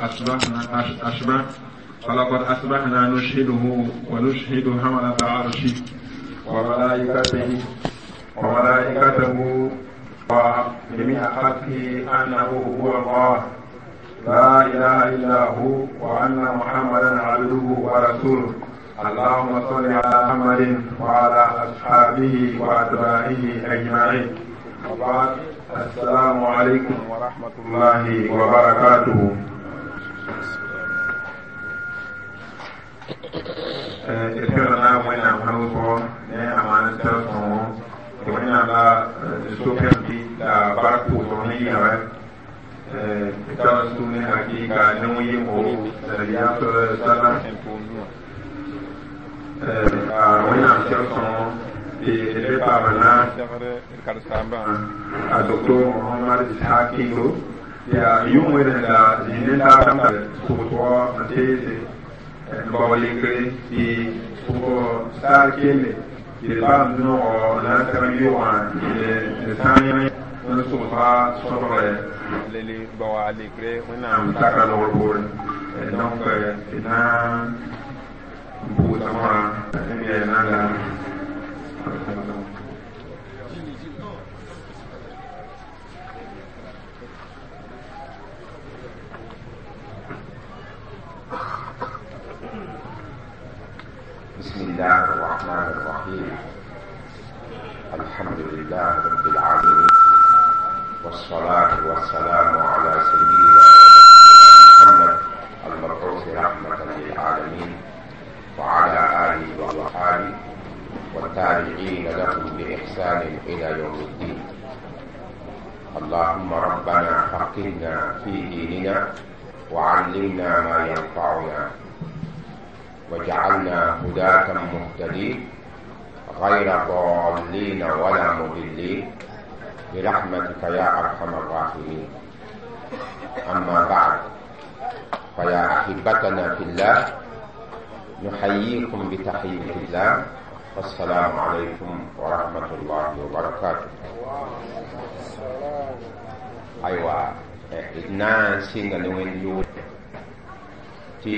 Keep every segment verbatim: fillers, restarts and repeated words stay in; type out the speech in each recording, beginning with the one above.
أصبحنا أصبح فلقد أصبحنا نشهده ونشهد حملة عرشه وملائكته وملائكته وجميع خلقه أنه هو الله لا إله إلا هو وأن محمدا عبده ورسوله. اللهم صل على محمد وعلى أصحابه وأتباعه أجمعين. وبعد، السلام عليكم ورحمة الله وبركاته. إسرنا وين أمهلوكو أمان سلسون وين على سوكن دي لا باركو سوني هاي ترسوني حقيقة نوي مو نبيا صلى الله عليه وسلم وين أم سلسون دي بابنا الدكتور محمد إسحاق كيلو يا يوم وين لا زينة سوتوا تيزي bawalikre ti ko sar kele ti bam no na ta yuwa ni sani n so fa sobre leli bawalikre ona mtaka no bor donc na bu sama ni na la بسم الله الرحمن الرحيم. الحمد لله رب العالمين، والصلاة والسلام على سيدنا محمد المبعوث رحمة للعالمين وعلى آله وأصحابه والتابعين لهم بإحسان إلى يوم الدين. اللهم ربنا فقهنا في ديننا وعلمنا ما ينفعنا وجعلنا هداة مهتدين غير ضالين ولا مضلين برحمتك يا أرحم الراحمين. أما بعد، فيا أحبتنا في الله، نحييكم بتحية الله، والسلام عليكم ورحمة الله وبركاته. أيوة، إدنا سنة نوين يوم tɩ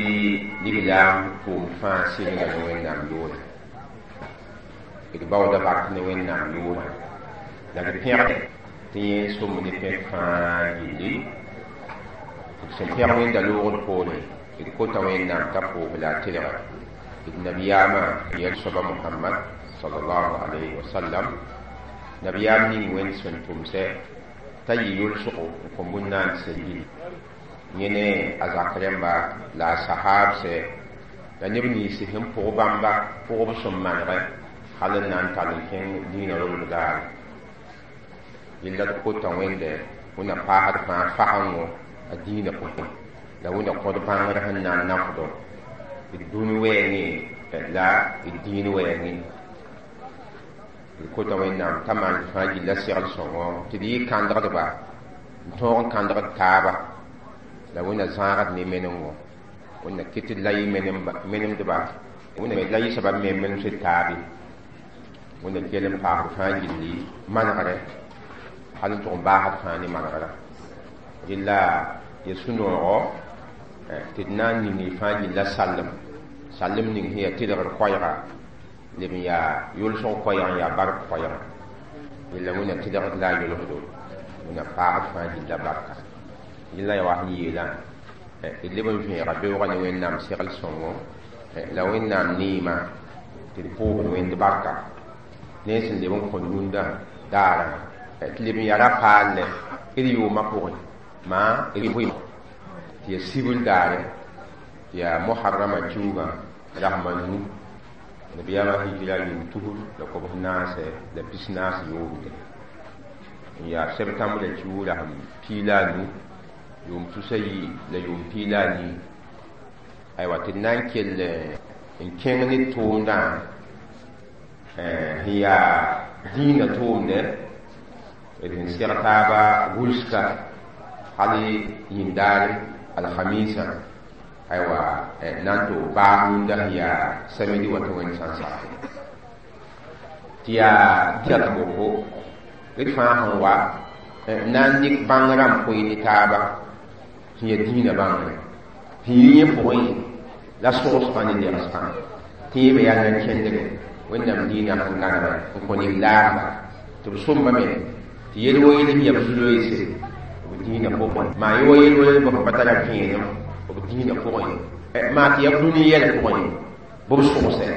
lislaam pʋʋm fãa sɩnga ne Wẽnnaam yʋʋrã, d baooda bark ne Wẽnnaam yʋʋrã, la d pẽgd tɩ yẽ somb ne pẽk fãa gilli. D sẽn pẽg Wẽnda loogd poore, d kota Wẽnnaam t'a pʋʋs la a tɩlga d nabiyaamã yɛl soaba Mohamad sallallahu alayhi wa sallam, nabiyaam ning Wẽnd sẽn tʋmsɛ t'a yɩ yʋlsgo n kõ bũn-naandsã gilli. Yẽne a zak rẽmba la a sahaabsɛ la neb nins sẽn pʋg bãmba pʋgb sẽn manegɛ hal n na n tall n kẽng dĩinã robd daare. Yella d kota Wẽnde wẽnna paasd fãa fagengo a dĩinã pʋgẽ, la wẽnna kõd bãngr sẽn na n nafdɔ d dũni wɛɛngẽ la d dĩin wɛɛngẽ. D kota Wẽnnaam t'a maan fãa gilla segl sõngo tɩ d yɩ kãndgdba n tõog n kãndgd taaba, la wẽnna zãagd ne menengo, wẽnna kɩt la yɩ menemdba, wẽnna la yɩ soaba me menemsd taabe, wẽnna kell n paasd fãa gilli manegre hal n tʋg n baasd fãa ne manegrã. Rɩla ya sũ-noogo tɩ d na n ning fãa gilla sallem, sallem ning sẽn yaa tɩlgr koɛɛga leb n yaa yʋlsg koɛɛg n yaa bark koɛɛga. Rɩla wẽnna tɩlgd la a yʋlsdo, wẽnna paasd fãa gilla barka. Yella ya wa sẽn yeelã d leb n vẽega beoogã ne Wẽnnaam segl sõngo la Wẽnnaam neemã tɩ d pʋʋsd Wẽnd barka ne sẽn leb n kõ rũndã daarã tɩ leb n yaa ra-paal lɛ d yʋʋmã pʋgẽ maa d tɩ ya sibl daare tɩ yaa moharrama kiuugã rasma nu nabiyaamã hijira yʋʋm tusr la kobs naasɛ la pis naas yoobde n yaa septembre la kiuug rasm pii la a nu yʋʋm tusa yi la yʋʋm pii la a nii. Aywa, tɩ d na n kell n kẽng ne tʋʋmdã sẽn yaa dĩinã tʋʋmdɛ d sẽn seg taaba gʋlska hal yĩndaare alhamisa, aywa na n tɩ baag rũndã sẽn yaa samedi wa tɩ Wẽnd sã n sakɛ tɩ yaa dĩnã boko d fãa sẽn wa na n dɩk bãng rãmb koe ne taaba sẽn yaa dĩinã bãngre. tɩ yẽ pʋgẽ la sogsgã ne legsgã tɩ yẽ be yaa nan kẽndge wẽnnaam diinã sẽn gãnega n kõ neb laamba tɩ b sõmbame tɩ yel wa yel n yab zu-loeese b dĩinã pʋgẽ maa ye wa yel wa yel b sẽn pa tara vẽenem b dĩinã pʋgẽ maa tɩ yaa dũni yɛl pʋgẽ bɩ b sogsɛ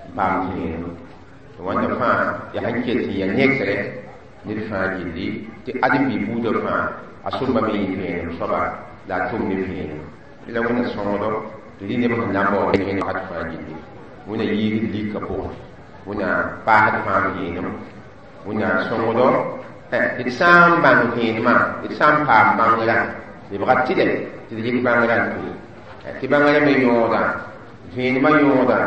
n paam vẽenem tɩ wãnda fãa yaa sẽn ket n yaa nekre ned fãa gilli tɩ ãdem-bi buudã fãa a sõmbame yɩ vẽenem soaba la a tʋm ne vẽenem la wẽnna sõngdo tɩ rɩ neb sẽn na n baood ne wakat fãa gilli wẽnna yiigd lika pʋgẽ wẽnna paasd fãa vẽenem wẽnna sõngdo d sã n bãng vẽenemã d sã n paam bãngrã lebga tɩlɛ tɩ d yik bãngrã n tʋ tɩ bãngrã me yõoda vẽenemã yõoda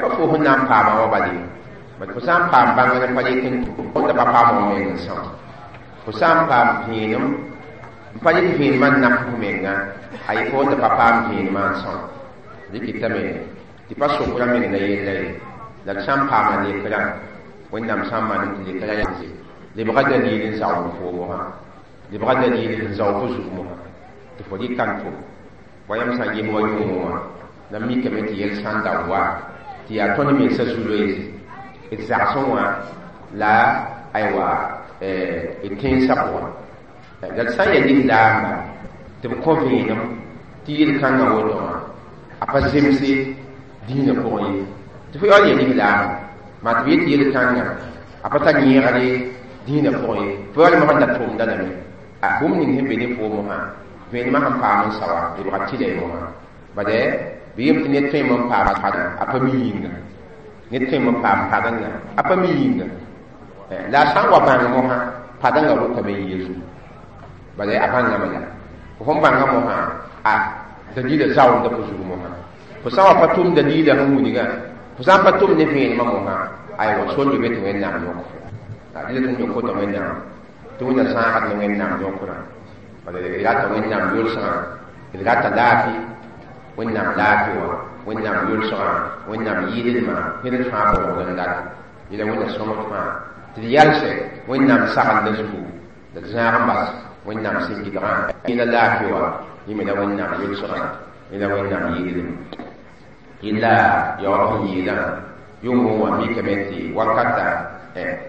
pa fo sẽn na n paama wã bale bad fo sã n paam bãngr pa yet n tʋ da pa paam f meng n são fo sã n paam vẽenem n pa yet vẽenemã n naf f menga a yet fo da pa paam vẽenemã n são dɩkɩtame tɩ pa sokra meng na yella ye la d sã n paama lekrã wẽnnaam sã n manem tɩ lekrã yanse lebga dalil n zaoog fo mosã lebga dalil n zaoog fo zug mosã tɩ fo dɩka n tʋm wa yãmb sã n yem wa yʋngẽ wã la mikame tɩ yɛl sã n da wa tɩ yaa tõnd mensã zu-loeese d zagsẽ wã la aywa d tẽnsã pʋgẽ la d sã n yaa lislaamba tɩ b kõ vẽenem tɩ yel-kãngã woto wã a pa zemse dĩinã pʋgẽ ye tɩ fo yaool yaa lislaamba maa tɩ b yet yel-kãngã a pa tar yẽegre dĩinã pʋgẽ ye fo yaool mosã da tʋmda lame bũmb ning sẽn be ne foom wã vẽenemã sẽn paam n sa wã lebga tɩla y mosã bade bɩ yem tɩ ned tõeme n paam a pa mi yĩnga ned tõeme n paam padengã a pa mi yĩnga la a sã n wa bãng mosã padengã rʋkame n yɛ zugu bala a bãngame la fo sẽn bãnga mosã a dalila zaoonda fo zug mosã fo sã n wa pa tʋm dalila sẽn wilgã fo sã n pa tʋm ne vẽenemã mosã aywa sor be tɩ wẽnnaam yõk fo dɩla tɩ yõk fo t'a wẽnnaam tɩ wẽnna zãagd ne wẽnnaam yõkrã bala d rata wẽnnaam yʋlsgã d rata laafɩ wẽnnaam laafɩ wã wẽnnaam yʋlsgã wẽnnaam yɩɩdlmã ned fãa baoogd n dat yẽla wẽnna sõmd fãa tɩ d yalsɛ wẽnnaam saglda zugu la d zãag n bas wẽnnaam sẽn gɩdgã yẽla laafɩ wã yẽ me la wẽnnaam yʋlsgã yẽla wẽnnaam yɩɩdlem yẽla yaoog sẽn yeelã yʋngẽ wã mikame tɩ wakata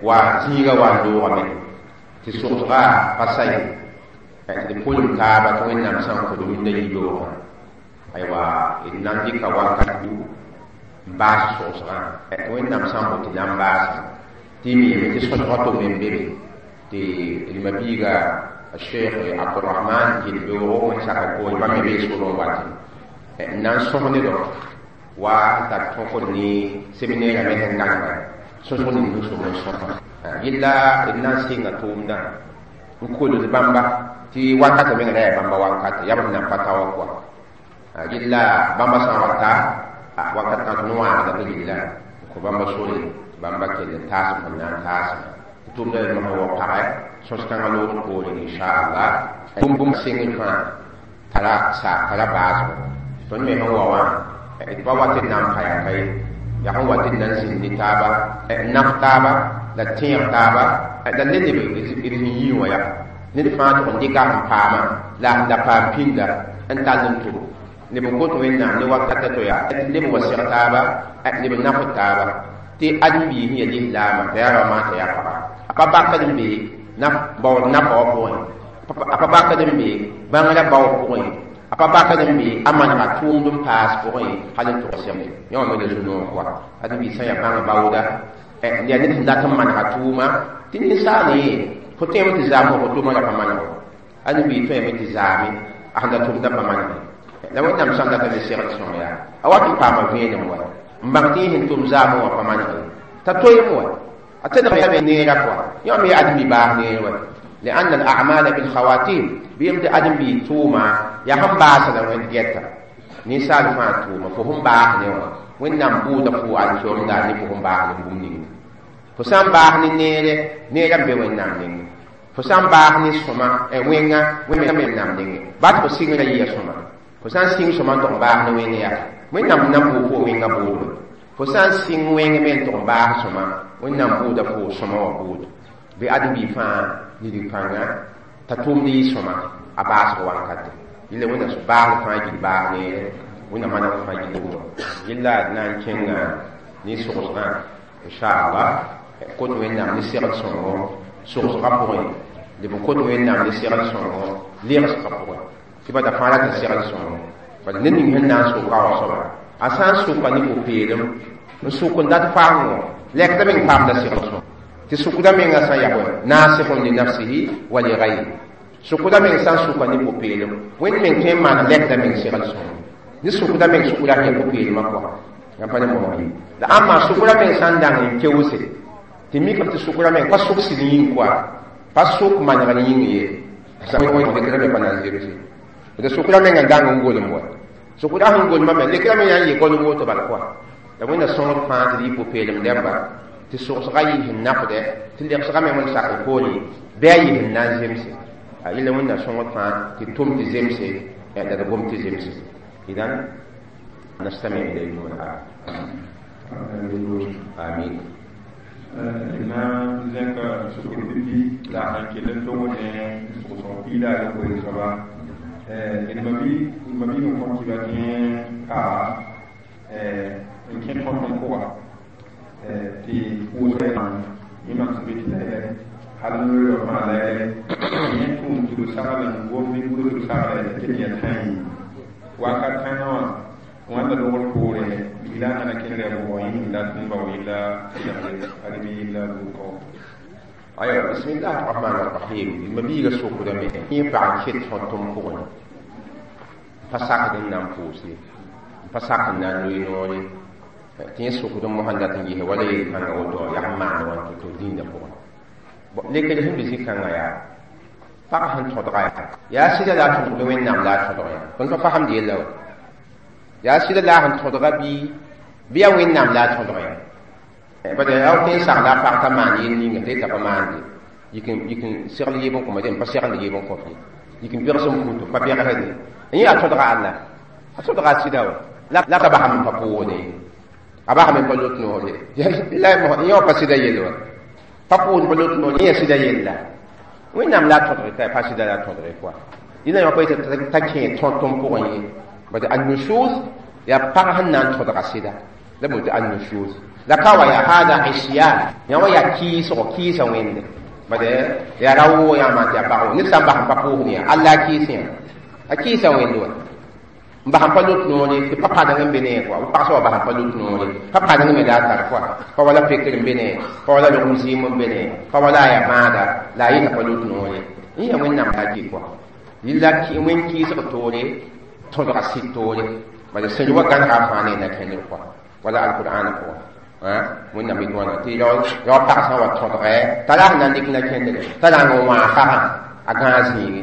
wa zĩiga wa n loogame tɩ sogsga pa sa ye tɩ d pʋlem taaba tɩ wẽnnaam sã n kod rũndã yibeoogã aywa d na n dɩka wakat n baas sogsgã tɩ wẽnnaam sã n bote na n baasa tɩ miime tɩ sõsgã tʋm n be be tɩ d mabiiga الشيخ عبد الرحمن gil-beoogo wẽn saka poore bãmb me bee sorẽ wate n na n sõs nedɔ wa tar tõkd ne seminɛɛrã me sẽn gãnega sõsg ning sẽn som n sõsa yella d na n sɩnga tʋʋmdã n kolg bãmba tɩ wakatã meng ra yaa bãmba wakatã yaa b sẽn na n pa ta wã kɔa yella bãmba sã n wa ta wakat kãng tõnd wãagda tɩ yella n kõ bãmba sore bãmba kell n taasem sẽn na n taasem tɩ tʋʋmdã mosã wa pagɛ sõs-kãngã loogd poorẽ inchallah bũmb bũmb sɩngr fãa tara sa tara baasgo tõnd me sẽn wa wã d pa wat d na n pa yaa ka ye yaa sẽn wat d na n zĩnd ne taaba n naf taaba la tẽeg taaba la le neb d sẽn yii wã yaa ned fãa tʋg n dɩka sẽn paamã la a sẽn da paam pĩnda n tall n tʋm neb n kot wẽnnaam ne wakata to yaa neb n wa seg taaba neb n nafd taaba tɩ ãdem-biis sẽn yaa lislaamã t'a yaa rao t'a yaa paga a pa bakd n be baood nafa wã pʋgẽ a pa bakd n be bãngrã bao pʋgẽ a pa bakd n be a manega tʋʋmd n paas pʋgẽ hal n tʋg sɛmde yã wã me la zu-noog koa ãdem-biis sã n yaa bãng baooda yaa ned sẽn dat n manega tʋʋma tɩ ninsaal ye fo tõeme tɩ zaam fo tʋʋma la pa maneg ãdem-biis tõeme tɩ zaame a sẽn da tʋmda pa manege la wẽnnaam sã n data ne segd sõng yaa a wat n paama vẽenem wa n bãng tɩ yẽ sẽn tʋm zaamẽ wã pa manege t'a toeem wa a tẽdgame neera koa yã me yaa ãdem-bi baas neer wa لأن الأعمال بالخواتيم بيم دي أدم بي توما يا هم باس لا وين جيتا نيسال فا توما فهم باس نيوا وين نام بودا فو على شوم دا ني فهم باس ني بوم ني فسام باس ني نيره نيره بي وين نام ني فسام باس ني سوما e wenga wen me nam ني بات فو سينغ يا سوما fo sã n sɩng sõma n tʋg n baas ne wẽng yaa wẽnnaam na n bʋʋg fo wẽngã bʋʋdo fo sã n sɩng wẽng me n tʋg n baas sõma wẽnnaam bʋʋda fo sõma wã bʋʋdo bɩ ãdem-bi fãa nidg pãnga t'a tʋʋmd yɩ sõma a baasg wankate Yɩla wẽnnaam baasg fãa gil baas neere wẽnnaam maneg fãa gil yɩla d na n kẽnga ne sogsgã inchallah kot wẽnnaam ne segl sõngo sogsgã pʋgẽ leb n kot wẽnnaam ne segl sõngo legsgã pʋgẽ tɩ bada fãa rat n segl sõngo bala ned ning sẽn na n soka wa soaba a sã n soka ne pʋ-peelem n sok n dat faamgo lɛkda meng paamda segl sõngo tɩ sukda mengã sã n yaa bõe nasihun li nafsihi wa li gayri sukda meng sã n suka ne pʋ-peelem wẽnd meng tõe n maan lɛkda meng segl sõngo ne sukda meng sukda sẽn yaa pʋ-peelmã pʋga yãmb pa ne mosg la ãmba sukra meng sã n dang n keoose tɩ mikame tɩ sukra meng pa suk sɩd yĩng koa pa suk manegr yĩng ye lekra me pa na n zemse tɩ sukra meng n dang n golem wa sukra sẽn golmame lekra me yaa n yɩ golem woto bal koa la wẽnna sõngd fãa tɩ d yɩ pʋ-peelem dẽmba tɩ sogsga yɩ sẽn nafdɛ tɩ legsga me wẽnd sak poore bɩ a yɩ sẽn na n zemse yẽla wẽnna sõngd fãa tɩ tʋm tɩ zemse la d gom tɩ zemse idan نستمع إليكم الآن آمين na zẽka sokr pipi la sãn kell n tog ne sogsg piila a yopoe soaba d mabi mabi n kõm tɩ ba tẽ ka n kẽ tõt n pʋga tɩ pʋʋsg yẽ mam sẽn be tɩ la hal n loe fãa la yẽ tʋʋm tɩ b sagl n gom ne gʋls b saglã tɩ ket yaa tã yĩng wakat kãngã wã wãnda dogr poore la nana kẽndre a bʋgã yĩng la n bao yella segle ad yella bʋka أيوة بسم الله الرحمن الرحيم مبيغ سوق دمي ينفع كيت فانتم فوقن فساق دنا نفوسي فساق دنا نوي تين سوق دم مهندة تنجيه ولا يكان أودو يعمل وان تو دين فوقن لكن هم بزي كان يا فقهن تدغى يا سيدي لا تدغى وين نعم لا تدغى كنت فهم دي لو يا سيدي لا تدغى بي بيا وين نعم لا تدغى bada yaw tẽn sagla a pag t'a maan yel ninga tɩ t'a pa maande yik n segl yeb n kõma dẽ pa segnd yeb n kõf ye yik n pegs n put pa pegsde yẽ yaa tõdga alla a tõdga a sɩda wa la ka basame n pa pʋʋsde a basame n pa lot noore la yẽ wã pa sɩda yell wa pa pʋʋsd pa lot noore yẽ yaa sɩda yella wẽnnaam la a tõdge t'a pa sɩda la a tõdge koa dĩnã yã pa yetɩ t'a kẽ tõt n pʋgẽ ye bad annushuz yaa pag sẽn na n tõdga sɩda la boond annushuz la ka wa ya hada isyan ya wa ya kiisgo kiisa wẽnde bade ya ra woo yãma tɩ ya pag ned sã n bas n pa pʋʋsd yã alla a kiis yã a kiisa wẽnde wa n bas n pa lot noore tɩ pa padeng n be ne kɔa b pagsã wa bas n pa lot noore pa padeng me la a tar kɔa pa wala pekr n be ne pa wala logem zɩɩm n be ne pa wala a ya bãada la a yɩta pa lot noore n ya wẽnnaam la a kɩ kɔa yɩla wẽn kiisg toore tõdga sɩd toore bala sẽn wa gãnega a fãa ne na kẽndr kɔa wala alqur'ana pʋgẽ wẽnnaam yet wãna tɩ rao pag sã n wa tõdgɛ t'a la sẽn na n dɩk na kẽndre t'a rãng n wãag pagã a gãag zĩigi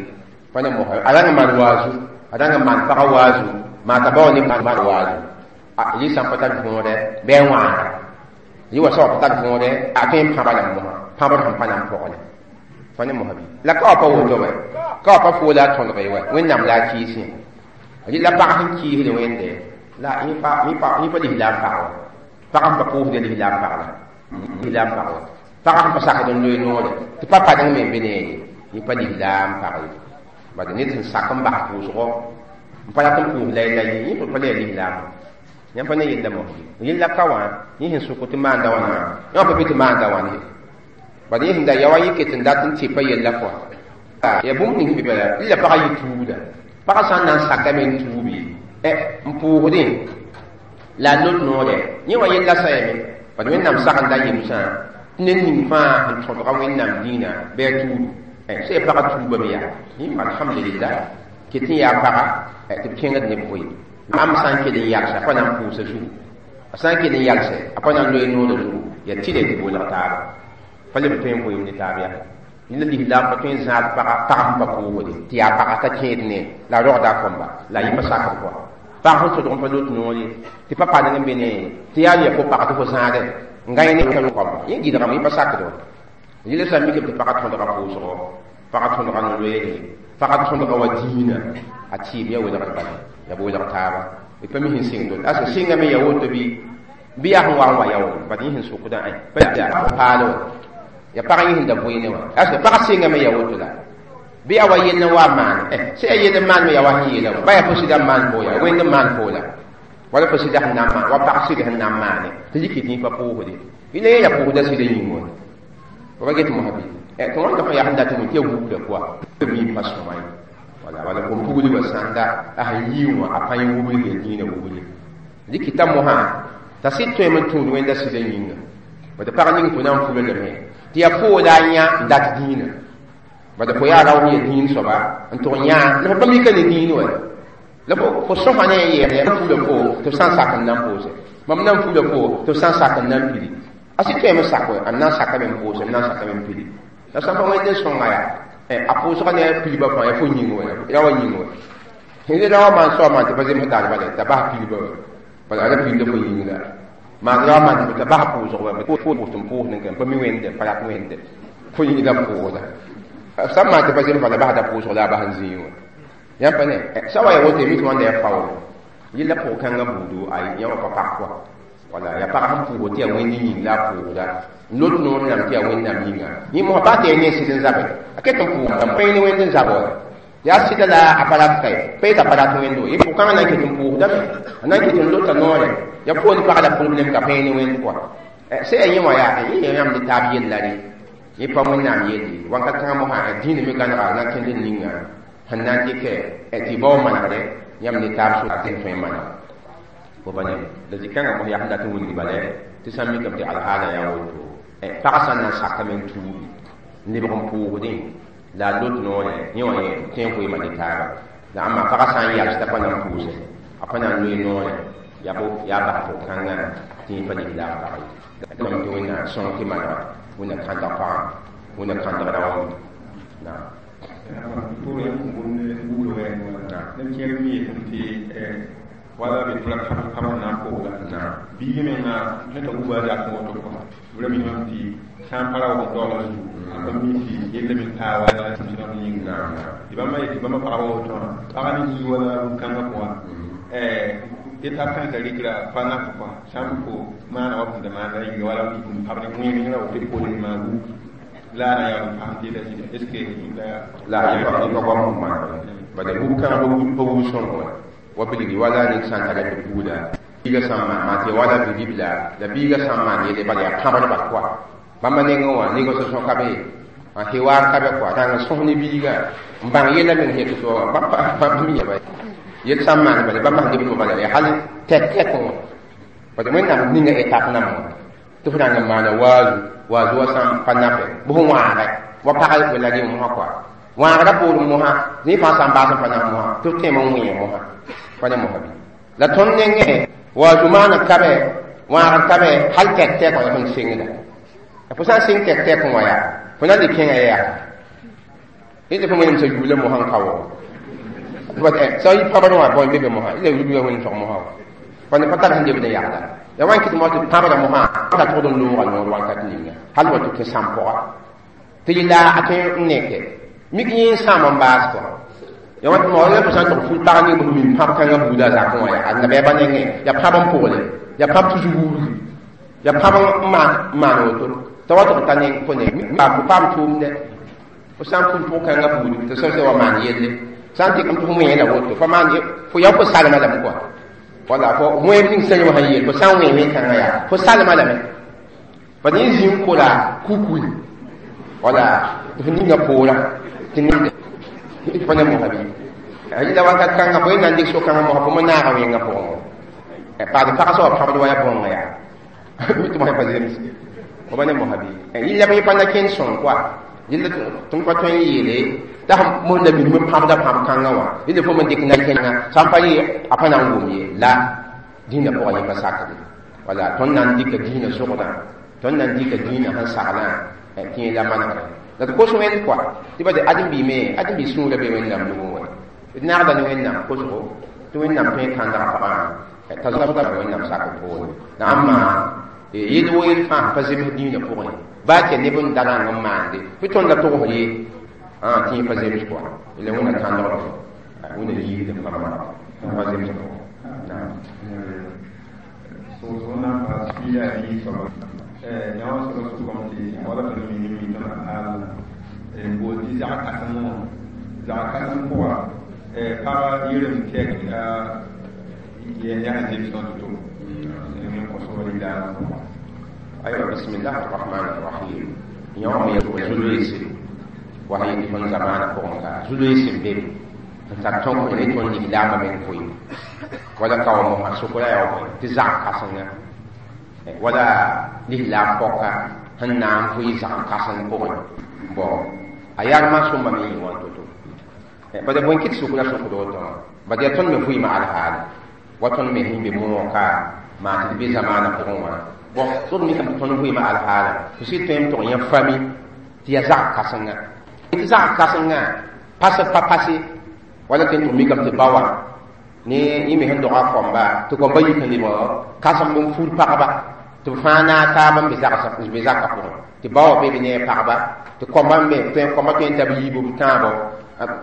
pa ne mosã a rãng n maan waazu a rãng n maan pagã waazu maa t'a bao ne maan waazu yɩ sã n pa tar võodɛ bɩ a wãaga yɩ wa sã wa pa tar võodɛ a tõe n pãba la mosã pãbd sẽn pa na n pɔgle pa ne mosã bɩ la ka wa pa woto wɛ ka wa pa foola a tõdge wɛ wẽnnaam la a kiis yã rɩla pag sẽn kiisd wẽnde la yẽ pa lislaam pag wa pag sẽn pa pʋʋsd lislaam pag la lislaam pag wa pag sẽn pa sakd n loe noore tɩ pa padeng me n be neere yẽ pa lislaam pag ye bad ned sẽn sak n bas pʋʋsgɔ n pa rat n pʋʋs la la ye yẽ pa le ya lislaam yãmb pa ne yella mos yella ka wã yẽ sẽn sʋk tɩ maanda wãna yã wã pa be tɩ maanda wãn ye bad yẽ sẽn da ya wa yẽ ket n dat n tɩpa yella pʋga ya bũmb ning sẽn be bala la pagã yɩ tuubda pagã sã n na n sakame n tuubi n pʋʋsdẽ la a lot noore yẽ wã yella sayame bad wẽnnaam sagenda yemsã tɩ ned ning fãa sẽn tõdga wẽnnaam dĩinã bɩ a tuudu sã ya pagã tuubame yaa yẽ alhamdulillah ket n yaa paga tɩ b kẽngd ne vʋɩ am sã n kell n yalsɛ a pa na n pʋʋsa zugu a sã n kell n yalsɛ a pa na n loe noorã zugu yaa tɩ tɩ bolg taaba pa leb tõe n vʋɩɩm ne taab yaa la lislaam pa tõe n zãad paga pag sẽn pa pʋʋsde tɩ yaa paga t'a kẽed ne la a rogda a kõmba la a yẽ pa sakd kɔa pag sẽn tõdg n pa lot noore tɩ pa padeng n be ne tɩ yaa ya fo pag tɩ fo zãade n gãe ne kõmba yẽ gɩdgame yẽ pa sakd wa yẽla sã n mikame tɩ paga tõdga pʋʋsgɔ paga tõdga no-loeere paga tõdga wa dĩinã a tɩɩm ya welgr bala ya b welg taaba y pa mi sẽn sɩng dol asa sɩngame ya woto bɩ bɩ yaa sẽn wa n wa ya wʋm bad yẽ sẽn sʋkdã pa paal wa ya pag yẽ sẽn da vʋɩ ne wã asa pag sɩngame ya woto la Bɩ yaa wa yell n wa maan sẽn yaa yell n maan me yaa wa sẽn yeela ba yaa fo sɩda n maan fo yaa wẽnd n maan fo la wala fo sɩda sẽn na n maan wa pag sɩd sẽn na n maane tɩ yiki tɩ yẽ pa pʋʋsde yẽla yẽ ya pʋʋsda sɩda yĩng wã fo pa get mosã bɩ tɩ wãnda fõ yaa sẽn dat n wẽ tɩ ya wubda koa mi pa sõma ye wala wala kom pugli wa sãnda a sẽn yii wã a pa yẽ wubl ya dĩinã wubli dɩkɩta mosã t'a sɩd tõeme n tũud wẽnda sɩda yĩnga bad pag ning fo na n fula lame tɩ yaa foo la a yã n dat dĩinã bad fo yaa rao ya dĩin soaba n tʋg yã la fo pa mika ne dĩin wa la fo sõsa ne a yeele fula fo tɩ f sã n sak n na n pʋʋse mam na n fula fo tɩ f sã n sak n na n pili a sɩd tõeme n sak n na n sakame n pʋʋse n na n sakame n pili la sã n pa wẽnd n sõnga yaa a pʋʋsga ne a pilbã fãa yaa fo yĩng wa yaa wa yĩng wa ne ra wa maan soab maan tɩ pa zems taal bala t'a bas pilbã wa bala a ra pilda fo yĩng la maan ra wa maan t'a bas pʋʋsg wa fo pʋʋs n pʋʋs n pa mi wẽnde pa rat wẽnde fo yĩngda pʋʋsda sã n maan tɩ pa zems bala basda pʋʋsg la a bas n zĩig wa yãmb pa ne sã wa ya woto mi tɩ wãnda ya faoolo yella pʋg-kãngã buudu a yã wã pa pak kɔa wala ya pag sẽn pʋʋsg tɩ yaa wẽnd yĩng la a pʋʋsda n lot noor nam tɩ yaa wẽnnaam yĩnga yẽ mosã baa tɩ yaa ne sɩd n zabe a ket n pʋʋsda pa ne wẽnd n zab wa yaa sɩda la a pa rat kae pa yeta pa rat wẽnd wa yẽ pʋg-kãngã na n ket n pʋʋsdame a na n ket n lota noore ya poon pag la problème ka pa ne wẽnd kɔa sẽn yaa yẽ wã yaa yẽ yaa yãmb ne taab yella re yẽ pa wẽnnaam yelle wãnka kãngã mosã dĩinã me gãnega na n kẽnd n ninga sẽn na n dɩkɛ tɩ bao manegre yãmb ne taab so tɩ tõe n maneg fo pa ne la zĩ-kãngã mos yaa sẽn dat n wilg bala tɩ sã n mikame tɩ alhaala yaa woto pag sã n na n sakame n tuugi n lebg n pʋʋsdẽ la a lot noore yẽ wã yẽ tõe n koeema ne taaba la ãmba pagã sã n yals t'a pa na n pʋʋse a pa na n loe noore yaa yaa bas pʋg-kãngã tɩ yẽ pa lislaam pag ye tɩ wẽnnaam sõng tɩ manega wẽnna kãndg pagã wẽnna kãndg raoã naam wala be tʋla pãb na n pʋgda biig menga ned a wuba zak woto kɔ b ra miname tɩ sã n pa ra wa daoolg zugu a pa mi tɩ yella me taa wa sẽm yĩnga tɩ bãmba yetɩ bãmba pagba woto wã pagã ne yii wala kãngã pʋgã étape kãensã rɩkra pa naf kɔ sã n fo maana wa fõn maanda yĩnga wala n pab ne wẽeng ra woto pol maan wu la a na yaa n paam tɩ la zĩna est ce que la yẽ pa goam maan bala wub kãngã pa wub sõngo wa bilgi wala ned sã n tara tɩ buuda biiga sã n maan tɩ wala bilibla la biiga sã n maan yelle bala yaa pãbdba kɔa bãmba nengẽ wã négociation ka be n hewaar ka be kɔa tãng n sõs ne biiga n bãng yella meng yetɩ to bãmb mi yaba yel sã n maan bala bãmb sẽn dɩbd bala yaa hal tɛk-tɛk wã bala wẽnnaam ninga étape nam wã tɩ f rãng n maana waazu waazu wa sã n pa nape bɩ f wãagɛ wa pag wella rẽ mosã kɔa wãagrã poorẽ mosã zĩ fãa sã n baas n pa na mosã tɩ f tẽem n wẽe mosã pa ne mosã bɩ la tõnd nengẽ waazu maana kabe wãagr kabe hal tɛk-tɛk wã yaa tõnd sengda fo sã n seng tɛk-tɛk wã yaa fo na n dɩk kẽngã yaa yẽ tɩ fo wẽnem sa yuula mosã n ka wa sã n yi pãbr wã bõe be be mosã la yuula wẽnem sog mosã wa pa ne pa tar sẽn lebd n yagda ya wan kɩt mo tɩ pãbra mosã ta tʋgd n loogã noor wãnkat ninga hal wa tɩ kẽ sãm pʋga tɩ yella a tõe n neke mik yẽ n sãam n baas kɔa ya wat mo la fo sã n tʋg ful pag ning b min pãb kãngã buuda zakẽ wã yaa a nabiyaa ba nengẽ yaa pãb n pʋgle yaa pãb tusg wurgi yaa pãb n maan maan woto t'a wa tʋg ta ne fo ne paam tʋʋmdɛ fo sã n ful pʋg-kãngã buudu tɩ sã wa maan yelle sã n tɩk n tɩ fo wẽe la woto fa maan fo yaa fo salma lame kɔa wala fo wẽeb ning sã yẽ wã sẽn yeel fo sã n wẽe wẽn-kãngã yaa fo salma lame pa yẽ zĩ n kola kukui wala tɩ fo ninga poorã tɩ ned pa ne mosã bɩ yɩla wakat kãngã fo yẽ na n dɩk so-kãngã mosã fo me naaga wẽngã pʋgẽ paad pag sã wa pãbd wa yaa bõnga yaa mi tɩ mosã pa zems fo pa ne mosã bɩ yɩla yẽ pa na kẽnd sõng koa yɩla tõnd pa tõe n yeele t'a mos la minim n pãbda pãb kãngã wã yɩla fo me dɩk na kẽnga sã n pa yɩ a pa na n wʋm ye la dĩinã pʋgã yẽ pa sakde wala tõnd na n dɩka dĩinã sogdã tõnd na n dɩka dĩinã sẽn saglã tɩ yẽ la manegre la d kos wẽnd kɔa tɩ ba de ãdem-biime ãdem-bi sũurã be wẽnnaam nugẽ wa d naagda ne wẽnnaam kosgo tɩ wẽnnaam tõe n kãndga pagã t'a zabda wẽnnaam sak poore la ãmba yel wo yel fãa pa zems dĩinã pʋgẽ baa tɩ neb n da rãng n maande bɩ tõnd la togs ye tɩ yẽ pa zems kɔa la wẽnna kãndgd wẽnna yiigd n pa maneg pa zems pʋgẽ soosgo na n paas piila a yii soaba yã wã soaba sʋkame tɩ wala tõnd mi ne mi tõnd al n bool tɩ zag kãsem wã Zag kãsem pʋga pag yɩrem tɛk yaa zemsã to-to n kõ sõor lislaamã pʋgã. Aywa, bismillah arrahman arrahim. Yõ me zu-loeese wa sẽn yet tõnd zamaanã pʋgẽ ka zu-loeese n be be n tar tõk ne tõnd lislaambã meng vʋɩɩm wala kao mosã sokra yaa bõe tɩ zag kãsenga wala lislaam pɔka sẽn na n vʋɩ zag kãseng pʋgẽ. Bon, a yarmã sõmba me yɩ wã to-to bala bõe kɩ tɩ sokra sokd woto wã bad yaa tõnd me vʋɩɩmã alhaale wa tõnd me sẽn be moog ka maa tɩ d be zamaanã pʋgẽ wã. Bon, sod mikame tɩ tõnd vʋɩɩmã alhaala tɩ sɩd tõe n tʋg yã fami tɩ yaa zag kãsenga tɩ zag kãsengã pas pa pase wala tɩ n tʋg mikame tɩ ba wã ne yẽ me sẽn doga kõmba tɩ kõmba yik n lebg kãsem n fur pagba tɩ b fãa naag taaba n be zakã pʋgẽ tɩ ba wã be be ne a pagba tɩ kõmba me tõe kõmba tõe n ta b yiibu b tãabo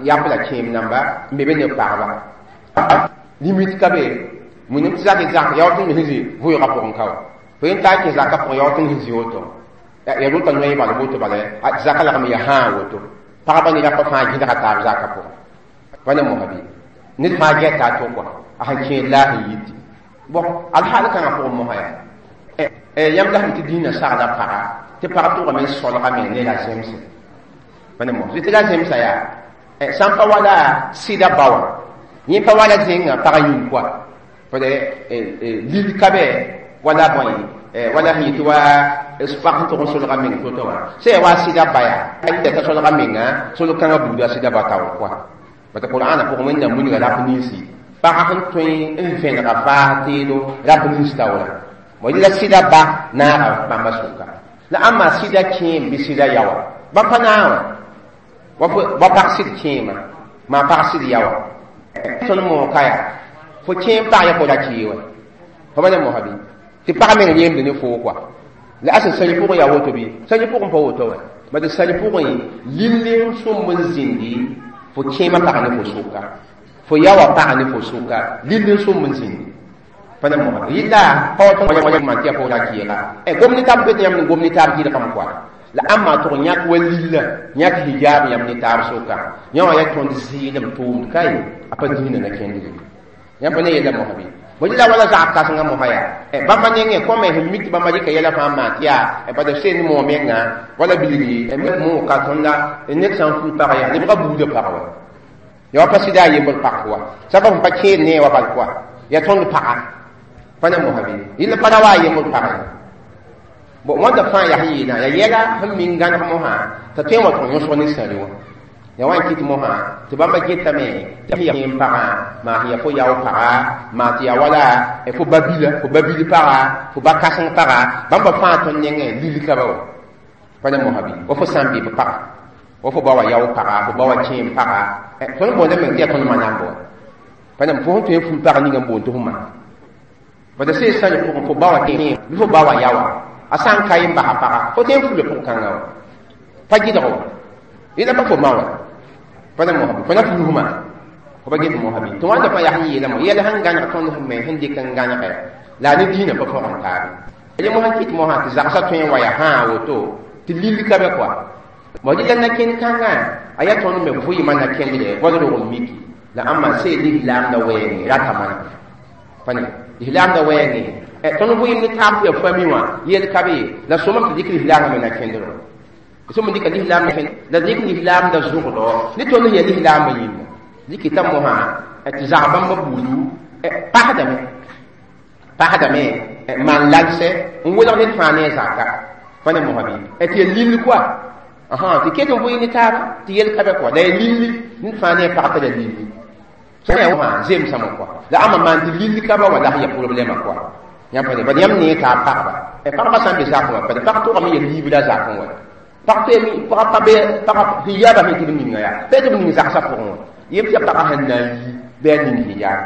yap la kẽem namba n be be ne pagba limite ka be wẽnnaam tɩ zak zak yaa tɩ me sẽn zĩ vʋʋgã pʋgẽ ka wa fo yẽn taa kẽ zakã pʋgẽ yaa tɩ sẽn zĩ woto ya rota noe bala woto bala zaka lagm ya hãa woto pagba ne rapa fãa gẽdga taab zakã pʋgẽ pa ne mosã bɩ ned fãa gɛta a to kɔa a sẽn kẽed la a sẽn yiti. Bon, alhaal kãngã pʋgẽ mosã yaa yãmb la sẽn tɩ dĩinã sagda paga tɩ pag tʋgame n solgame ne la zemse pa ne mos tɩ la zemsa yaa sã n pa wala sɩda ba wã yẽ pa wala zẽngã pag yĩng kɔa pd lil ka bɛ wala bõe wala sẽn yetɩ wa pag sẽn tʋg n solga meng to-to wã sã yaa wa sɩda ba yaa t'a solga menga sol-kãngã buuda sɩda ba taoor kɔa bata qur'ana pʋgẽ wẽnnaam wilga rap ninsi pag sẽn tõe n vẽnega faas teedo rap nins taoora bõ la sɩda ba naaga bãmba sʋka la ãmba sɩda kẽem bɩ sɩda yaoa bãmb pa naag wã wa pag sɩd kẽema maa pag sɩd yaoa tõnd moog ka yaa fo kẽem pag ya fo ra kee wa fo pa ne mosã bɩ tɩ pag meng yemd ne foo kɔa la asa sãli pʋgẽ yaa woto bɩ sãli pʋgẽ pa woto wã bad sãli pʋgẽ lill n sõmb n zĩndi fo kẽemã pag ne fo sʋka fo yaoã pag ne fo sʋka lill n sõmb n zĩndi pa ne mosã yɩla pa wa tõnd maan tɩ yaa fo ra keega gom ne taab be tɩ yãmb n gom ne taab gɩdgame kɔa la ãmba tʋg yãk wa lilla yãk hijab yãmb ne taab sʋka yã wã yaa tõnd zɩɩlem tʋʋmd ka ye a pa dĩinã na kẽndre yãmb pa ne yella mosã bɩ bõe la wala zag kãsengã mosã yaa bãmba nengẽ kõme sẽn mik tɩ bãmba rɩka yɛla fãa maan tɩ yaa bad b seen moog menga wala bilgi moog ka tõnd la ned sã n ful pag yaa lebga buudã pag wa ya wa pa sɩda a yembr pak wa sabab sẽn pa kẽed nee wa bal kɔa yaa tõnd paga pa ne mosã bɩ yɩl pa ra wa a yembr pag ye. Bon, wãnda fãa yaa sẽn yeelã yaa yɛla sẽn ming gãneg mosã t'a tõe n wa tʋg yõsg ne sãri wã ya wa n kɩt mosã tɩ bãmba getame tɩ ya kẽem pagã maa sẽn yaa fo yao paga maa tɩ yaa wala fo ba bila fo ba bil paga fo ba kãseng paga bãmba fãa tõnd nengẽ lil ka ba wa pa ne mosã bɩ wa fo sã n be b paga wa fo ba wa yao paga fo ba wa kẽem paga tõnd boonda meng tɩ yaa tõnd manamb wa pa ne fo sẽn tõe n ful pag ninga n boond tɩ fo maan bada sẽn sã pʋgẽ fo ba wa kẽem bɩ fo ba wa yaoa a sã n ka n basa paga fo tõe n fula pʋg-kãngã wa pa gɩdg wa yẽla pa fo ma wa pa ne mosã bɩ fo na fulsma fo pa get mosã bɩ tɩ wãnda fãa yaa sẽn yeelame yɛl sẽn gãneg tõnd sẽn me sẽn dɩk n gãnege la a ne dĩinã pa fõgen taabe ye mosã kɩt mosã tɩ zagsã tõe n wa yaa hãa woto tɩ lill ka be kɔa mo dɩ la na-kẽnd kãngã a yaa tõnd me vʋɩɩmã na-kẽndre wala rog n miki la ãmba see lislaamda wɛɛngẽ rata mana pa ne lislaamda wɛɛngẽ tõnd vʋɩɩm ne taab tɩ yaa fami wã yel ka be la sõmam tɩ dɩk lislaamã me na-kẽndrã sõm dɩka lislaam la dɩk lislaamda zʋgdɔ ne tõnd sẽn yaa lislaambã yĩnga dɩkɩta mosã tɩ zag bãmba buudu pasdame pasdame maan lalsɛ n welg ned fãa ne a zaka pa ne mosã bɩ tɩ yaa lill kɔa tɩ ket n vʋɩ ne taaba tɩ yel ka bɛ kɔa la yaa lilli ned fãa ne a pag t'a la lilli sã zemsame kɔa la ãmba maan tɩ lill ka ba wa la sẽn yaa problɛmã kɔa yãmb pa ne bad yãmb nee t'a pagba pagba sã n be zakẽ wã pad pag tʋgame yaa liib la zakẽ wa pag tõe pag pa be pag hijaaba sẽn tɩ b ninga yaa pa tɩ b ning zagsã pʋgẽ wã yem tɩ yaa pagã sẽn na n yi bɩ a ning hijaab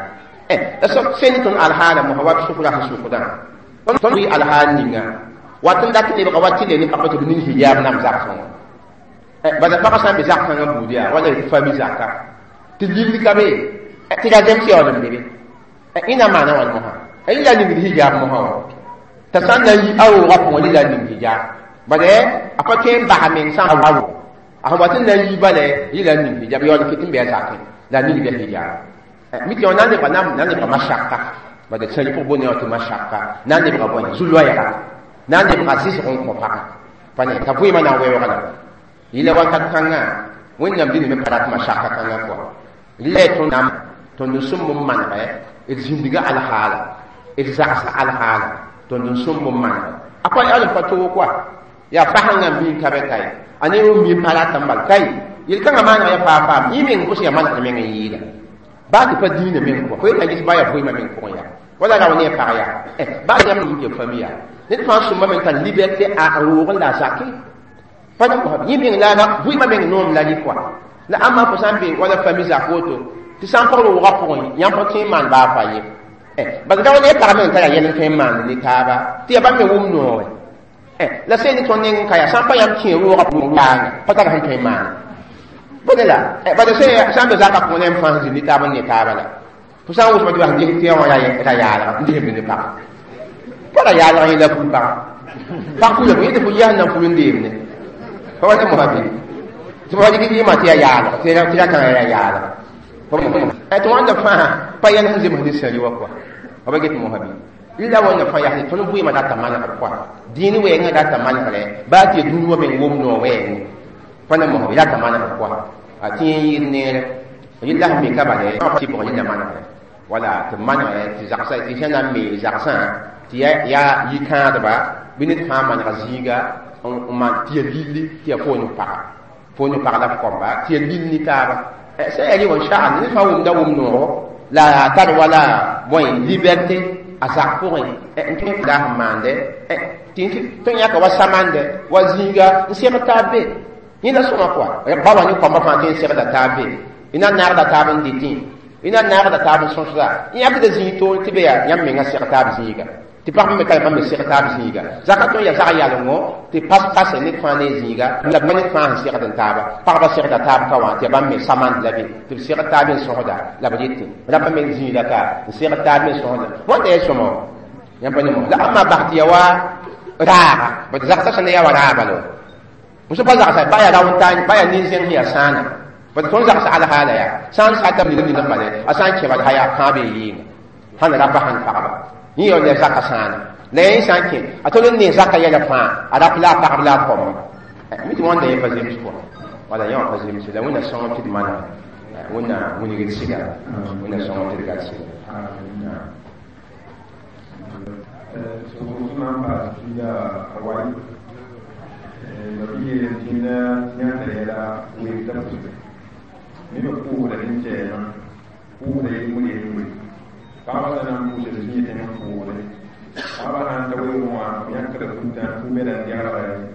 la soab sẽn ne tõnd alhaala mosã wa b sʋkra sẽn sʋkdã tõnd bɩ alhaal ninga wat n dat lebga wa tɩ le ne pagba tɩ b ning hijaab nam zagsẽ wã bala pagã sã n be zak kãngã buud yaa wala tɩ fami zaka tɩ lill ka be tɩ ra zems yaool n be be ẽna maana wãn mosã la ningd hijab mosã wã t'a sã n na n yi a roogã pʋgẽ la ning hijab bad a pa tõe n basa meng sã n A sẽn wa tɩ n na n yi bala yɩla n ning hijab yaool n ket n bɩ a zakẽ la a ning bɩ hijab mi tɩ na n lebga na n lebga mashaka bad sẽn pʋg boond tɩ mashaka na n lebga bõe zu-loɛɛga na n lebga zɩsg n kõ pagã pa ne t'a vɩɩmã na n weoog la yɩla wakat kãngã wẽnnaam dĩnd me pa rat mashaka kãngã kɔa rɩla y tõnd tõnd n sõmb n manegɛ d zĩndga alhaala d zagsa alhaala tõnd n sõmb n manegɛ a pa yaool n pa toog kɔa yaa fasẽngã n bĩn ka bɛ kae a ne wẽn mi pa rat n bal kai yel-kãngã maaneg ya faa faam yẽ meng pʋsẽ yaa manegd meng n yɩɩda baa tɩ pa dĩinã meng pʋgã fo yetã ges baa yaa vɩɩmã meng pʋgẽ yaa wala rao ne a pag yaa baa yãmb yĩng ya fam yaa ned fãa sõmba meng tar liberté a roog n la a zake pa yẽ meng la vɩɩmã meng noom la rɩ kɔa la ãmba fo sã n be wala fami zak woto tɩ sã n pag roogã pʋgẽ yãmb pa tõe n maan baa fa ye bas rao ne pag meng tara yɛl n tõe n maand ne taaba tɩ yaa bãmb me wʋm noore la sẽn ne tõnd neng n ka yaa sã n pa yãmb kẽ roogã pʋgã pa tar sẽn tõe n maana bõe la bad sã n be zakã pʋgẽ ne m fãa sẽn zĩnd ne taab n ne taaba la fo sã n wʋsma tɩ bas ges tɩ wã ra yaalga n ges b ne pag pa ra yaalg yẽ la ful pagã pag fula yẽ tɩ fo yɛs na ful n deemne pa wa tɩ mosã bɩ tɩ fo dɩk yɩɩmã tɩ yaa yaalg tɩ ra kãngã yaa yaalg tɩ wãnda fãa pa yɛl sẽn zems ne sãri wa kɔa fa ba get mosã bɩ rɩla wãnda fãa yaa tõnd vɩɩmã rata manegr kɔa dĩin wɛɛngã rata manegrɛ baa tɩ ya dũni wã meng wʋm noog wɛɛngẽ pa na mosã bɩ rata manegr kɔa a tɩ yẽ yɩɩd neere yella sẽn be ka bale tɩ bʋg yella manegre wala tɩ manegɛ tɩ zagsa tɩ sẽn na n me zagsã tɩ yaa yikãadba bɩ ned fãa manega zĩiga n maan tɩ ya lilli tɩ ya foon n paga foon n pag la f kõmba tɩ ya lil ne taaba sẽn yaa rɩ wã sha'an ned fãa wʋmda wʋm noogo la a tar wala bõe liberté a zak pʋgẽ n tõe n daa sẽn maande tɩ tõe yãka wa samande wa zĩiga n segd taab be yẽ la sõma kɔa ba wa ne kõmba fãa tõe n segda taab be y na n naagda taab n dɩtẽ y na n naagda taab n sõsda y yãkda zĩig toor tɩ be yaa yãmb menga seg taab zĩiga tɩ pagb me ka bãmb me seg taab zĩiga zaka tõe n yaa zag yalengo tɩ pas-pase ned fãa ne zĩiga la ned fãa sẽn segd n taaba pagba segda taab ka wã tɩ ya bãmb me samand la be tɩ b segd taab n sõsda la b rete rapa me zĩiga ka n segd taab n sõsda wãnda yaa sõma yãmb pa ne mos la ãmba bas tɩ ya wa raaga bad zagsã sẽn yaa wa raaba la mosã pa zagsa ba yaa rao n taa ba yaa nin-zẽng sẽn yaa sãana bad tõnd zagsa alhaala yaa sã n sata ned ned bale a sã n kẽ bala yaa kãabe yɩɩnga sãn rapa sãn pagba yẽ yaool yaa zaka sãana la yẽ sã n kẽ a tol n ne zaka yɛla fãa a rap la a pagb la a kõmba mi tɩ wãnda yẽ pa zems kɔa wala yẽ wã pa zems la wẽnna sõng tɩ d manega wẽnna wilgd sɩda wẽnna sõng tɩ d gat sɩda nima puusda sẽn kɛɛmã puusda yel-wẽn yel-wẽ pagbã sã na n pʋʋsd zĩig tẽng n pʋʋsde pagbã sã n ta weoogẽ wã b yãkda futã fu-meda n dẽgdgɛ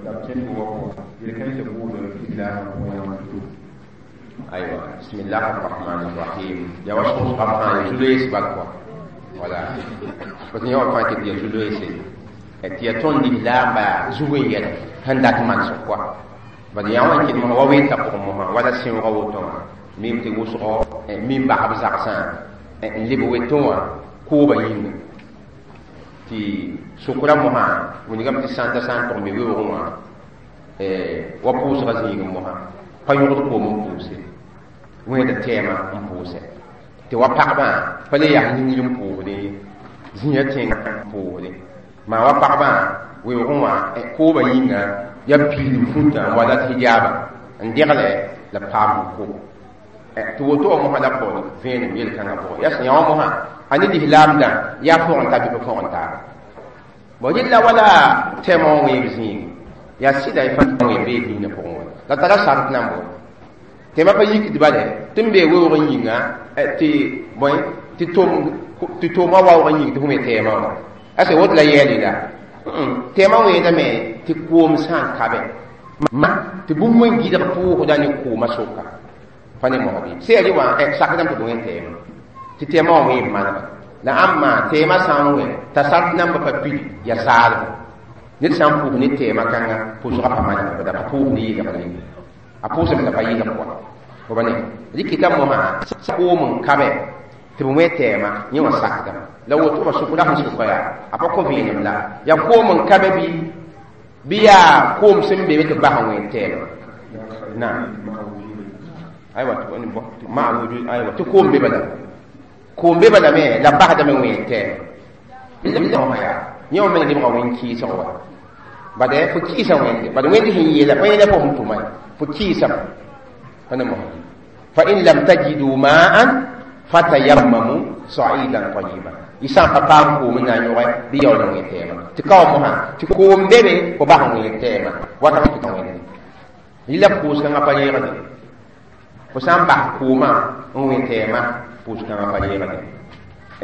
la b kẽ tʋʋgã pʋgã yel-kãensã pʋʋsd lislaamã pʋgẽ yã wã to aywa bismillah arrahman arrahim ya wa sõsgã fãa ya zu-loees bal kɔa wala parce que yã wã fãa ket ya zu-loeese tɩ ya tõnd lislaamba zug n yɛl sẽn dat manesg kɔa bad yã wã n ket mosã wa weta pʋgẽ mosã wala sẽoogã woto wã mim tɩ wʋsgo mim basb zagsã n leb wetõ wã kooba yĩnga tɩ sokra mosã wilgame tɩ sãnda sã n tʋg me weoogẽ wã wa pʋʋsga zĩigẽ mosã pa yõgd koom n pʋʋse wẽeda tɛɛmã n pʋʋsɛ tɩ wa pagbã pa le yaa yĩngr n pʋʋsde zĩiga tẽngã n pʋʋsde maa wa pagbã weoogẽ wã kooba yĩnga yaa piilem fũtã n wa dat hijaaba n degle la paam n ko tɩ woto wã mosã la pʋgẽ vẽenem yel-kãngã pʋgẽ yaa sẽn yã wã mosã a ne lislaamdã yaa fõgen taa bɩ pa fõgen taaba bon yella wala tɛɛmã wã wẽeb zĩigi yaa sɩda y fãa wẽeb bee dĩinã pʋgẽ wã la tara sart nan bo tɛɛmã pa yikd bale tɩ n bee weoog n yĩnga tɩ bõe tɩ tʋm tɩ toomã waoog n yĩng tɩ fo me tɛɛmã wã ase woto la yɛɛle la tɛɛmã wẽedame tɩ koom sã n ka bɛ ma tɩ bũmb n gɩdg pʋʋsda ne koomã soka pa ne mosã bɩ sẽn yaa rɩ wã sakdame tɩ bõe tɛɛmã tɩ tɛɛmã wã wẽeb manega la ãmba tɛɛmã sã n wẽ t'a sart namba pa pili yaa zaalgo ned sã n pʋʋs ne tɛɛmã kãnga pʋʋsgã pa manega bada pa pʋʋs ne yɩlg ye a pʋʋsame la pa yɩlg pʋga fo ba ne rɩkɩta mosã koom n ka bɛ tɩ b wẽ tɛɛmã yẽ wã sakdame la woto wã sʋkra sẽn sʋka yaa a pa kõ vẽenem la yaa koom n ka bɛ bɩ bɩ yaa koom sẽn be be tɩ bas n wẽ tɛɛmã نعم ايوا مع وجود ايوا تكون ببلا كون ببلا ما لا بعد من وين تام يوم من يبغى وين كي سوا بعد فكي سوا وين بعد وين هي لا فين لا فهم توما فكي سوا فانا مهم فإن لم تجدوا ماء فتيمموا صعيدا طيبا يسان بابام كو من نيوغي بيو لو تيما تكاو مها تكوم بيبي كو باهم وين تيما وتا تكاو yɩla pʋʋs-kãngã pa yẽegde fo sã n bas koomã n wẽ tɛɛmã pʋʋs-kãngã pa yẽegde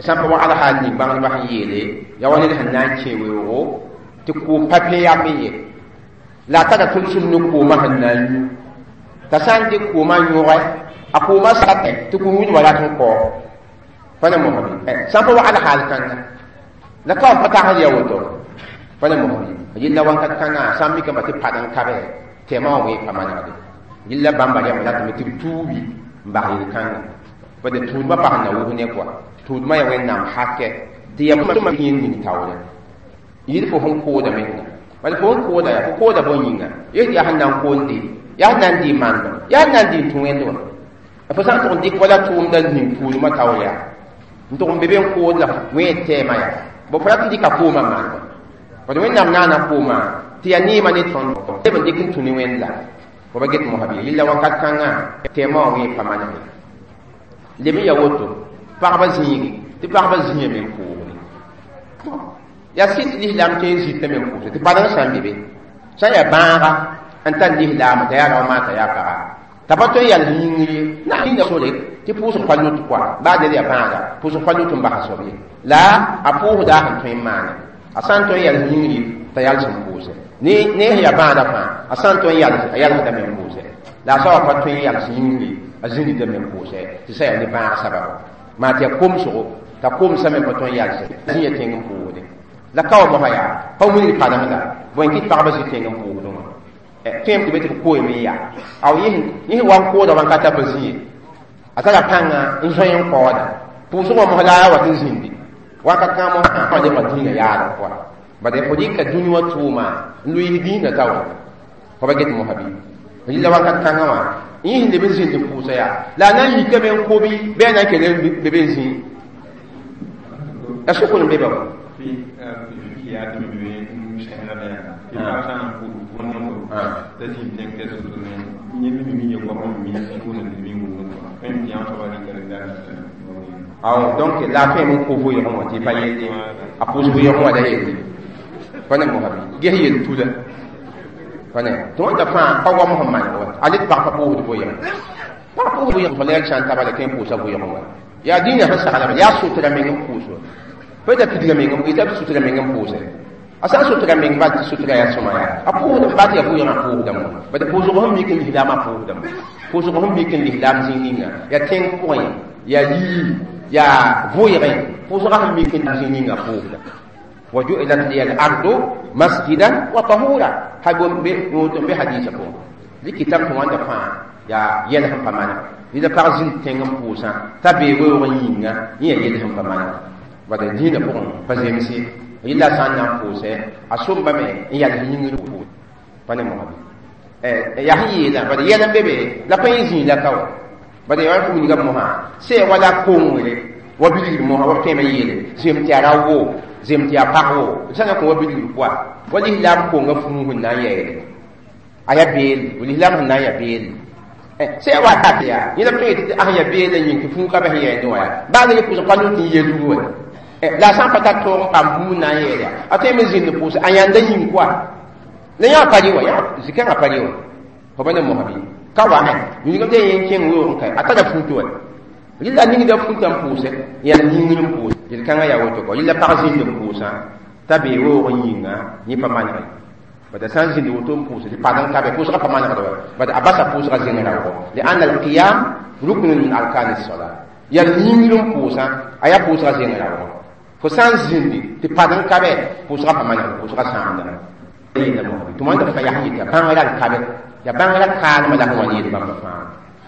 sã n pa wagd hal ning bãngdbã sẽn yeele yaa wa ned sẽn na n kẽ weoogo tɩ koom pa pẽ yam ye la a tara tʋlsem ne koomã sẽn na n yũ t'a sã n dɩk koomã yõgɛ a koomã satɛ tɩ ko-yũudbã rat n kao pa ne mosbe sã n pa wagd hal kãnga la ka pa tagsd ya woto pa ne mosbe yella wãnkat kãngã sã n mikame tɩ pad n kabe tɛɛmã wã wẽ pa manegde yella bãmba rẽmb ratame tɩ b tuubi n bas yel-kãnga bad tuudmã pa sẽn na wʋs ne kɔa tuudmã yaa wẽnnaam hakɛ tɩ yaa tõma yẽnd ning taoore yɩl fo sẽn kooda menga bala fo sẽn kooda yaa fo kooda bõe yĩnga yes yaa sẽn na n koonde yaa sẽn na n dɩ mandem yaa sẽn na n dɩ n tũ wẽnd wã fo sã n tʋg n dɩk wala tʋʋmda ning tuudmã taoor yaa n tʋg n be be n kood la wẽ tɛɛmã yaa bo fo rat n dɩka koomã maandem bad wẽnnaam naana koomã tɩ yaa neemã ne tõnd leb n dɩk n tũ ne wẽnd la fo ba get mosã bɩ yella wakat kãngã tɛɛmã wã wẽ pa maneg leb n ya woto pagba zĩigi tɩ pagba zĩame n pʋʋsde yaa sɩd lislaam tõe n zĩtame n pʋʋsde tɩ padeng sã n be be sã n yaa bãaga n tar lislaam t'a yaa rao maa t'a yaa paga t'a pa tõe n yals yĩngr ye na yĩnga sore tɩ pʋʋsg pa lut kɔa baa ned yaa bãaga pʋʋsg pa lut n basa soab ye la a pʋʋsda sẽn tõe n maane a sã n tõe n yals yĩngr ye t'a yals n pʋʋse ne sẽn yaa bãada fãa a sã n tõe n yals a yalsdame n pʋʋse la a soaba pa tõe n yals yĩngr ye a zĩndame n pʋʋse tɩ sã yaa ne bãag sababo maa tɩ yaa komsgo t'a komsame pa tõe n yalse zĩ ya tẽng n pʋʋsde la ka wa mosã yaa pa wilg padengda bõe kɩt pagba zĩ tẽng n pʋʋsdẽ wã tõem tɩ be tɩ b koeem n yaa a yẽ wa n kooda wãnkata pa zĩ ye a tara pãnga n zoe n kaooda pʋʋsg wã mos la a wat n zĩndi wakat kãngã mosã lebga dĩinã yaadg pʋga bad fo dɩka dũni wã tʋʋma n lʋɩɩs dĩinã taoore fo ba get mosã bɩ yella wakat kãngã wã yẽ sẽn leb n zĩnd n pʋʋsa yaa la a na n yikame n kobi bɩ a na n kell n be be n zĩ a sokr n be ba wa aw donc la fẽ n ko vʋɩɩgẽ wã tɩ pa yelle a pʋʋs vʋɩɩgẽ wã la yelle pa ne mosã bɩ ges yel tula pa ne tɩ wãnda fãa pa goam sẽn maneg wa a le tɩ pag pa pʋʋsd vʋɩɩgẽ pag pʋʋsd vʋɩɩgẽ fo la sã n taba la kẽ n pʋʋsa vʋɩɩgẽ wã yaa dĩinã sẽn saglame yaa sotra meng n pʋʋs wa pa da pidga meng yeta b sutra meng n pʋʋse a sã n sutra meng bal tɩ sutra yaa sõma yaa a pʋʋsd ba tɩ yaa vʋɩɩgã pʋʋsdame bad pʋʋsg sẽn mik n lislaamã pʋʋsdame pʋʋsg sẽn mik n lislaam zĩig ninga yaa tẽng pʋgẽ yaa yii yaa vʋɩɩgẽ pʋʋsgã sẽn mik n zĩig ninga pʋʋsda وجعلت لي الأرض مسجدا وطهورا هاي be hadisa pʋgẽ likitame tɩ wãnda fãa yaa yɛl sẽn pa maneg neda pag zĩnd tẽng n pʋʋsã t'a bee weoog n yĩnga yẽ yaa yɛl sẽn pa maneg bad dĩinã pʋgẽ pa zemse yella sã n na n pʋʋsɛ a sombame n yals yĩngr pʋʋs pa ne mosã bɩ yaa sẽn yeelã bad yɛl n be be la pa yẽ zĩig la ka wa bad yaa wa wilga mosã sɛ wala kongre wa bilgr mosã wa b tõeme yeele zem tɩ yaa ra wo zem tɩ yaa pag wo sã na kõ wa bilgr pʋa wa lislaam konga fũu sẽn na n yɛɛle a yaa beelle lislaam sẽn na n yaa beelle sɛ wa ta yaa yẽla b tõe tɩ a sẽn yaa beelle yĩng tɩ fũu ka bas yɛɛndẽ wã yaa baa ne pʋʋsg pa lut n yelg wa la a sã n pa tar toog n paam buud na n yɛɛl yaa a tõe me zĩnd pʋʋsɛ a yãnda yĩng koa la yã pa rɩ wa zĩ-kãngã pa rɩ wa fo ba ne mosã bɩ ka wa yĩngame tɩ yẽ kẽng weoog n kae a tara fuuto wa yella ningda fuutã n pʋʋsɛ yãl yĩngr n pʋʋs yel-kãngã yaa woto kɔ yella pag zĩnd n pʋʋsã t'a bee weoog n yĩnga yẽ pa manege bad a sã n zĩnd woto n pʋʋsɛ tɩ pad n ka be pʋʋsgã pa manegd wa bad a basa pʋʋsgã zẽng raoogo lianna alqiyam ruknun min arkani sola yãl yĩngr n pʋʋsã a yaa pʋʋsgã zẽng raoogo fo sã n zĩndi tɩ pad n ka be pʋʋsgã pa manegd pʋʋsgã sãamda tɩ wãnda fãa yaa sẽn yetɩ yaa bãngrã n ka be yaa bãngrã kaalmã la sẽn wa yeel bãmba fãa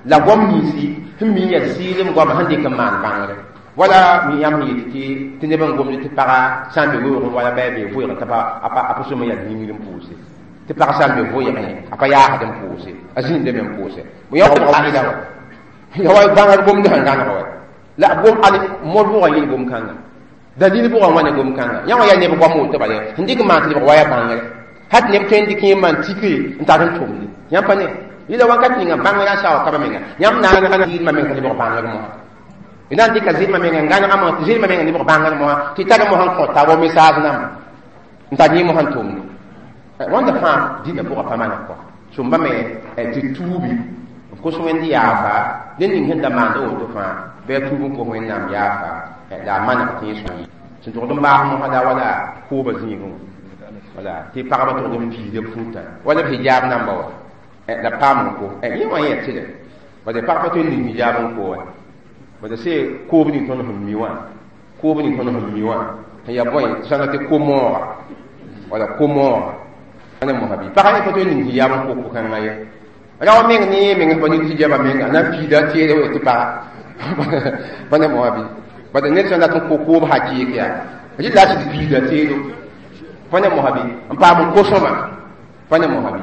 la goam ninsi sẽn mi yaa sɩɩlem goama sẽn dɩk n maan bãngre wala mi yãmb sẽn yet tɩ tɩ neb n gomd tɩ paga sã n be weoogẽ wala bɩ a bee vʋɩgẽ t'a pa sʋm n yaa yĩngr n pʋʋse tɩ pag sã n be vʋɩgẽ a pa yaasd n pʋʋse a zĩnd me n pʋʋse ya wa bãngr gomd sẽn gãneg wa la gom al mod bʋgã yel gom kãnga dalil bʋgã wãne gom kãnga yã wã yaa neb goam woto bala sẽn dɩk n maan tɩ lebg wa ya bãngre hat neb tõe n dɩk yẽ maan tike n tar n tʋmde yãmb pa ne yɩla wakat ninga bãngrã sa wa kaba menga yãmb na n zɩɩdmã menga lebg bãngr mosã y na n dɩka zɩɩdmã menga n gãnega mosã tɩ zɩɩdmã menga lebg bãngr mosã tɩ tar mosã n kõ taab wa message namba n tar yẽ mosã n tʋmde wãnda fãa dĩnã pʋgã pa maneg kɔ sõmba me tɩ tuubi n kos wẽnd yaafa ned ning sẽn da maanda woto fãa bɩ a tuub n kos wẽnnaam yaafa la a maneg tɩ yẽ sõa sẽn tʋgd n baas mosã la wala koobã zĩigẽ wala tɩ pagba tʋgd n piisda futa wala b hijab namba wa la paam n ko yẽ wã yẽ tɩlɛ bala pag pa tõe n ning hijab n ko wa bala se koob ning tõnd sẽn mi wã koob ning tõnd sẽn mi wã sẽn yaa bõe sãnga tɩ ko-mooga wala ko-mooga ane mosã bɩ pagã yẽ pa tõe n ning hijab n ko ko-kãngã ye rao meng ne yẽ meng pa ning hijabã menga na n piida teere wa tɩ paga pa ne mosã bɩ bala ned sã n dat n ko koob hakɩɩk yaa rɩ la sɩd piida teero pa ne mosã bɩ n paam n kosõma pa ne mosã bɩ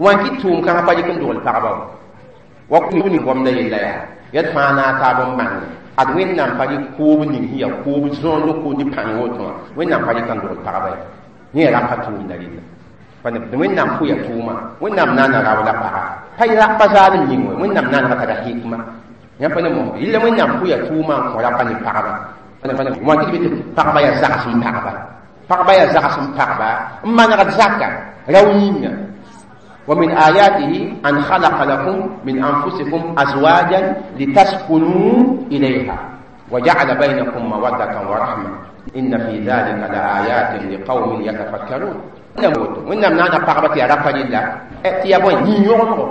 wãn kɩ tʋʋm kãngã pa yik n dogl pagba wa wa kũub ning goamda yella yaa yad fãa na a taab n bãnge ad wẽnnaam pa rɩk koob ning sẽn yaa koob zõond ko ne pãng woto wã wẽnnaam pa rɩk n dogl pagba ya yẽ ra pa tʋʋmda rɩlla pa ne wẽnnaam pʋya tʋʋma wẽnnaam naana rao la paga pa pa zaalem yĩng wɛ wẽnnaam naanega tara hikma yãmb pa ne mosã yella wẽnnaam pʋya tʋʋma n kõ rapa ne pagba wã tɩ b tɩ pagba yaa zags n pagba pagba yaa zags n pagba n manegd zaka rao yĩnga ومن آياته أن خلق لكم من أنفسكم أزواجا لتسكنوا إليها وجعل بينكم مودة ورحمة إن في ذلك لآيات لقوم يتفكرون وإنما نانا pagba tɩ yaa rapa rɩlla tɩ yaa bõe yĩn-yõgemgo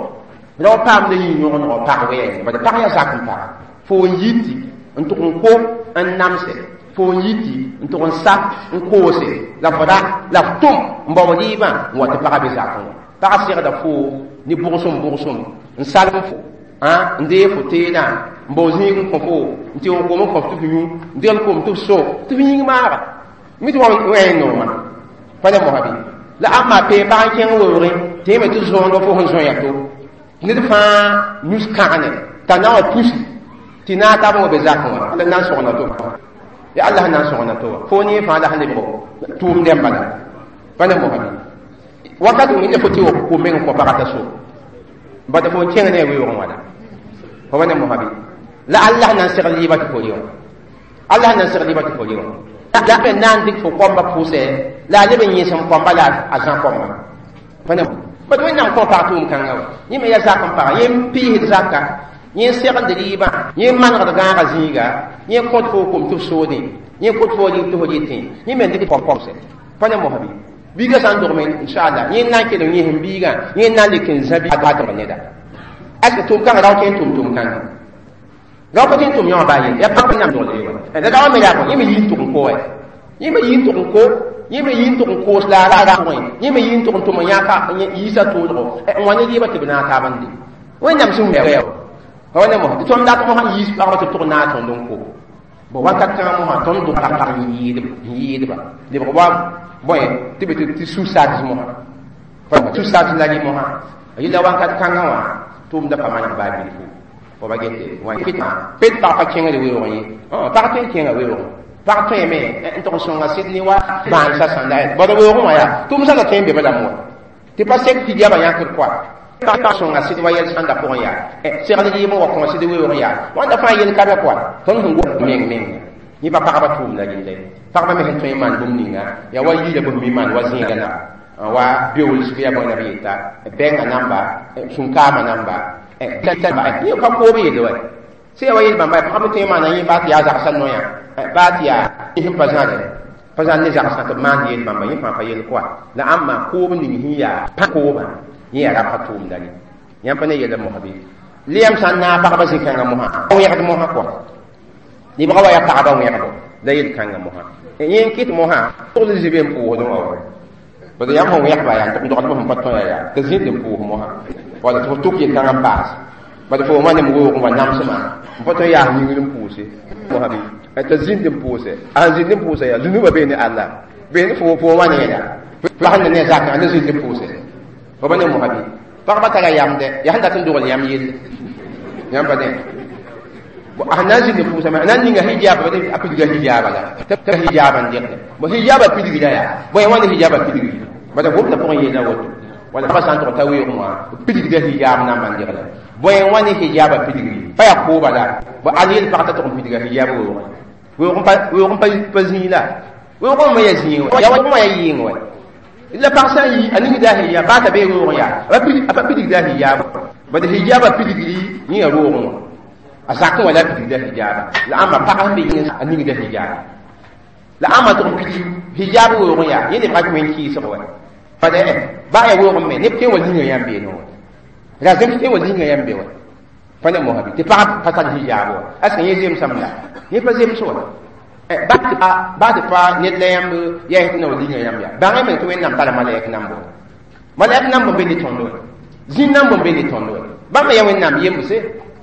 rao paamda yĩn-yõgemgo pag wɛɛngẽ bala pag yaa zak n paga fo n yiti n tʋg n ko n namse fo n yiti n tʋg n sa n koose la fo ra la f tʋm n bao rɩɩbã n wa tɩ pagã be zakẽ wã pag segda fo ne bʋgsem bʋgsem n salm fo n dee fo teedã n bao zĩig n kõ fo n tɩ kom n kõ f tɩ f yũ n degl kom tɩ f so tɩ f yĩng maaga mi tɩ wa wẽen noomã pa ne mosã bɩ la ãmba pee pag n kẽng weoogẽ tɩ yẽ me tɩ zõond fo sẽn zõ to ned fãa nus kãgne t'a na wa pusi tɩ naag taab n wa be zakẽ wã la na n sõgna to ya Allah sẽn na n sõgna to wa fo ne fãa la sẽn lebg tʋʋm dẽmba bala pa ne mosã bɩ wakat wẽnde fo tɩ wa ko meng kõ pagã t'a so bata fo n kẽng ne a weoogẽ wala fo wa ne mosã bɩ la Allah na n segl yɩɩbã tɩ fo rɩ wã Allah na n segl yɩɩbã tɩ fo rɩ wã la b na n dɩk fo koambã pʋʋsɛ la a leb n yẽsem koamba la a zã koambã pa ne bad wẽnnaam kõ pag tʋʋm kãngã wa yẽ me yaa zak n paga yẽ n piisd zaka yẽ n segld rɩɩbã yẽ n manegd gãagã zĩiga yẽ kõt fo kom tɩ f soodẽ yẽ kõt fo rɩɩb tɩ fo rɩtẽ yẽ me n dɩk pɔmsɛ pa ne mosã bɩ biiga sã n dogme inchallah yẽ n na n kelg yẽsem biigã yẽ n na n lek n zã bi neda est ce que tʋʋm kãngã rao tõe n tʋm tʋʋm kãngã rao pa tõe n tʋm yã wã baa yel yaa pag wẽnnaam dogl ye wa la rao me yaa yẽ me yii n tʋg n ko wɛ yẽ me yii n tʋg n ko yẽ me yii n tʋg n koos la ra ra pʋgẽ yẽ me yii n tʋg n tʋm n yãka yiisa toolgo n wa ne rɩɩbã tɩ b naag taab n de wẽnnaam sẽn wɛ wa ne mosã tɩ tõnd dat mosã yiis pagba tɩ b tʋg naag tõnd n ko bo wakat kãngã mosã tõnd dʋg pag n yɩɩdba lebg wa bõe tɩ be tɩ su-sats mosã su-sats la rɩ mosã yella wakat kãngã wã tʋʋmda pa maneg baa bilfu fo ba gete wã pet pag pa kẽngre weoogẽ ye pag tõe n kẽnga weoogẽ pag tõeme n tʋg n sõnga sɩd ne wa bãansa sãnda bad weoogẽ wã yaa tʋʋm sã la tõe n be balame wa tɩ pa sek tɩ yaba yãkd koa pag sõnga sɩd wa yɛl sãnda pʋgẽ yaa segl rɩɩb n wa kõ sɩd weoogẽ yaa wãnda fãa yel ka be koa tõnd sẽn gom meng meng yẽ pa pagba tʋʋmda rɩlla ye pagba me sẽn tõe n maan bũmb ninga yaa wa yiila bõmb me maan wa zẽega na wa beoolsg yaa bõe na b yeta bɛnga namba sũnkaamã namba yẽ pa koob yelle wa sẽn yaa wa yel bãmba pagb tõe n maana yẽ baa tɩ yaa zagsã noyã baa tɩ yaa sẽn pa zãre pa zãr ne zagsã tɩ b maand yel bãmba yẽ fãa pa yel koa la ãmba koob ning sẽn yaa pa koobã yẽ yaa rapa tʋʋmda rẽ yãmb pa ne yella mosã bɩ leyam sã n naag pagba zĩ-kãngã mosã wẽgd mosã koa lebga wa yaa pagba wẽgdo la yel-kãngã mosã yẽ n kɩt mosã togl zĩ-be n pʋʋsdẽ wã wa bad yãmb sẽn wẽgba yaa n tʋg dogdb sẽn pa tõe yaa tɩ zĩnd n pʋʋs mosã wala tɩ fo tʋk yel-kãngã n paas bad fo wã nem weoogẽ wa namsmã n pa tõe yaas yĩngr n pʋʋse mosã bɩ t'a zĩnd n pʋʋse a sẽn zĩnd n pʋʋsa yaa zũnubã bee ne Allah bee ne fo fo wã ne yɛla pag ne ne zakã ne zĩnd n pʋʋse Fo pa ne mosa bɩ pagba tara yamdɛ yaa sẽn dat n dogl yãmb yelle yãmb pa dẽ a na n zĩnd pʋʋsame a na n ninga hijaab a pidga hijaaba la t'a hijaaba n dɩgde bo hijaaba pidgda yaa bõe wãna hijaaba pidgri bala gomda pʋgẽ yeela woto wala pagã sã n tʋg t'a weoogẽ wã pidgda hijaab namba n dɩgle bõe wãne hijaaba pidgri pa yaa kooba la bo al yel pag t'a tʋg n pidga hijaab weoogẽ weoog n pa zĩig la weoogẽ me yaa zĩig wɛ yaa wã yaa yɩɩng wɛ la pag sã n yi a ningda hijaab baa t'a bee weoogẽ yaa a pa pidgda hijaab bad hijaaba pidgri yẽ yaa roogẽ wã a zakẽ wã la a pidgda hijaaba la ãmba pag sẽn be yĩng a ningda hijaab la ãmba tʋg n pidg hijaab weoogẽ yaa yẽ lebga wẽn kɩɩsg wɛ bad baa yaa weoogẽ me neb tõe n wa zĩnga yãmb beene wɛ ra zems tõe n wa zĩnga yãmb be wɛ pa ne mosa bɩ tɩ pag pa tar hijaab wã est ce que yẽ zemsame la yẽ pa zems wã baa tɩ pa ned la yãmb yaa tɩ na wa zĩnga yãmb yaa bãng me tɩ wẽnnaam tara malɛk nambo malɛk namb n be ne tõnd wɛ zĩn namb n be ne tõnd wɛ bãmba yaa wẽnnaam yembse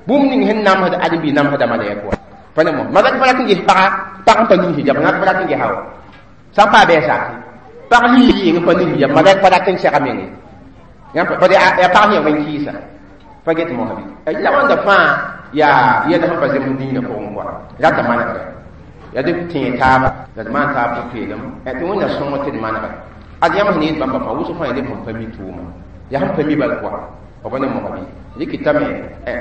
bũmb ning sẽn namsd ãdem-biig namsda malɛk wã pa ne mos malɛk pa rat n ges paga pag n pa ning hijab rat pa rat n gesa wa sã n paa bɩ a zake pag sẽn yɩ yɩng pa ning hijab malɛk pa rat n sɛga meng ye bad yaa pag sẽn yaa wẽn kɩɩsa pa get mosã bɩ la wãnda fãa yaa yɛl sẽn pa zems dĩinã pʋgẽ kɔa rata manegre yaa dɩ tẽe taaba la d maan taab pʋ-peelem tɩ wẽnna sõng tɩ d manega ad yãmb sẽn yet bãmba fãa wʋsg fãa yaa neb sẽn pa mi tʋʋma yaa sẽn pa mi bal kɔa f pa ne mosã bɩ rɩkɩtame